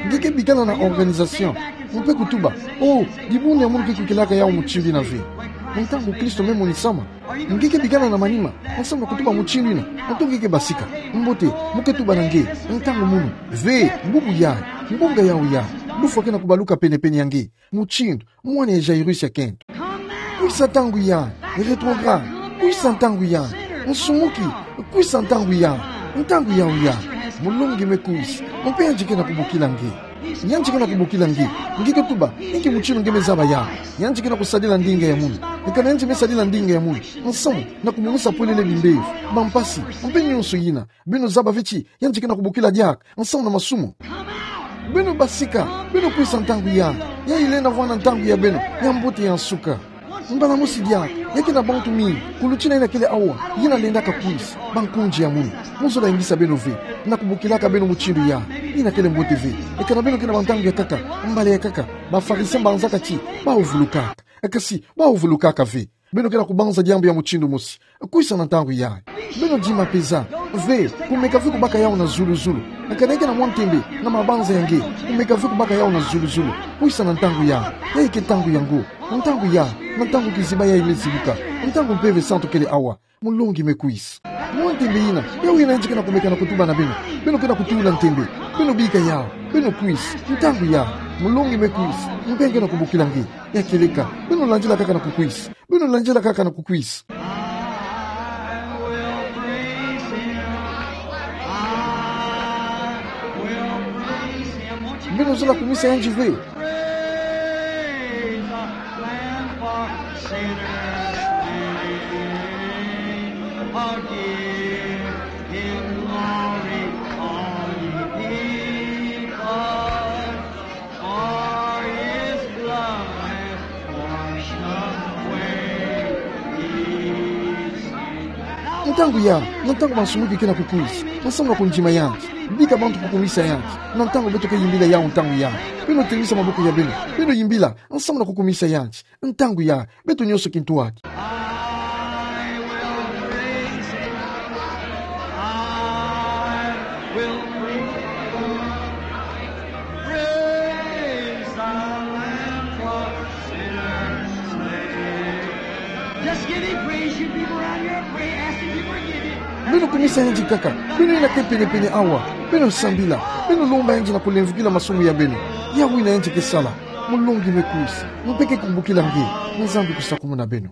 Nge ke bikana na organisation. Mu mpe kutuba, oh, dibundu ya munu ke kwikilaka yau mutindu yina ve. Ntangu Kristo me monisama. Nge ke bikana na manima, nge samu na kutuba mutindu yina, nto nge ke basika. Mbote, mu ke tuba na nge, ntangu munu, ve, bubu ya, mbonga yau ya, lufwa kena kubaluka pene-pene ya nge, mutindu, mwana ya Jairus ya kento. Kwisa ntangu ya, rétrograde, kwisa ntangu ya, nsumuki, kwisa ntangu ya, ntangu yau ya, mulongi me kwisa, mpe yandi kena kubokila nge. Yandi kena kubokila nge. Nge ke tuba, inki mutindu nge me zaba ya. Yandi kena kusadila ndinga ya munu. Ekana yandi me sadila ndinga ya munu, nsamu na kumonisa pwelele bimbevo, bampasi, mpe nionso yina. Beno zaba ve ti, yandi kena kubokila diaka, nsamu na masumu. Beno basika, beno kwisa ntangu ya. Yayi lenda vwanda ntangu ya beno, ya mbote ya nsuka. Mbala mosi diaka, ya ke na bantu mingi, kulutina yina kele awa, yina lendaka kwisa, bankunzi ya munu. Mu zola yingisa beno ve, na kubokilaka beno mutindu ya, yina kele mbote ve. Ekana beno ke na bantangu ya nkaka, mbala ya nkaka, ba Pharisien babanzaka ti, baovulukaka. Kasi, baovulukaka ve. Beno kena kubanza diambu ya mutindu mosi. Kwisa na ntangu ya. Beno dima peza. Ve, kumeka ve kubaka yau na zulu-zulu. Ekana nge ke na mwa ntembe, na mabanza ya nge. Kumeka ve kubaka yau na zulu-zulu. Kwisa na ntangu ya. Yayi ke ntangu ya ngo. Ntangu ya. Na ntangu kiziba yayi me zibuka. Ntangu Mpeve Santu kele awa. Mulongi me kwisa. Mwa ntembe yina. Yau yina yandi kena kumeka na kutuba na beno. Beno kena kutula ntembe. Beno bika yau. Beno kwisa. Ntangu ya. Mulongi me kwisa. Mpe nge kena kubokila nge. Ya kieleka. Beno landila kaka na kukwisa. Beno landila kaka na kukwisa. Beno zola kumisa yandi ve. Ntangu ya, na ntangu bansumuki kena kukwisa, nsamu na kundima yandi. Bika bantu kukumisa yandi. Na ntangu beto ke yimbila yau ntangu ya. Beno telemisa maboko ya beno. Beno yimbila, nsamu na kukumisa yandi. Ntangu ya, beto nionso kintwadi. Just give him praise, you people around here, pray, ask him to forgive you. Beno kumisa yandi kaka, beno yina ke pene-pene awa, beno sambila, beno lomba yandi na kulemvukila masumu ya beno. Yau yina yandi ke sala, mulongi me kwisa, mpe ke kubokila nge, Nzambi kusakumuna beno.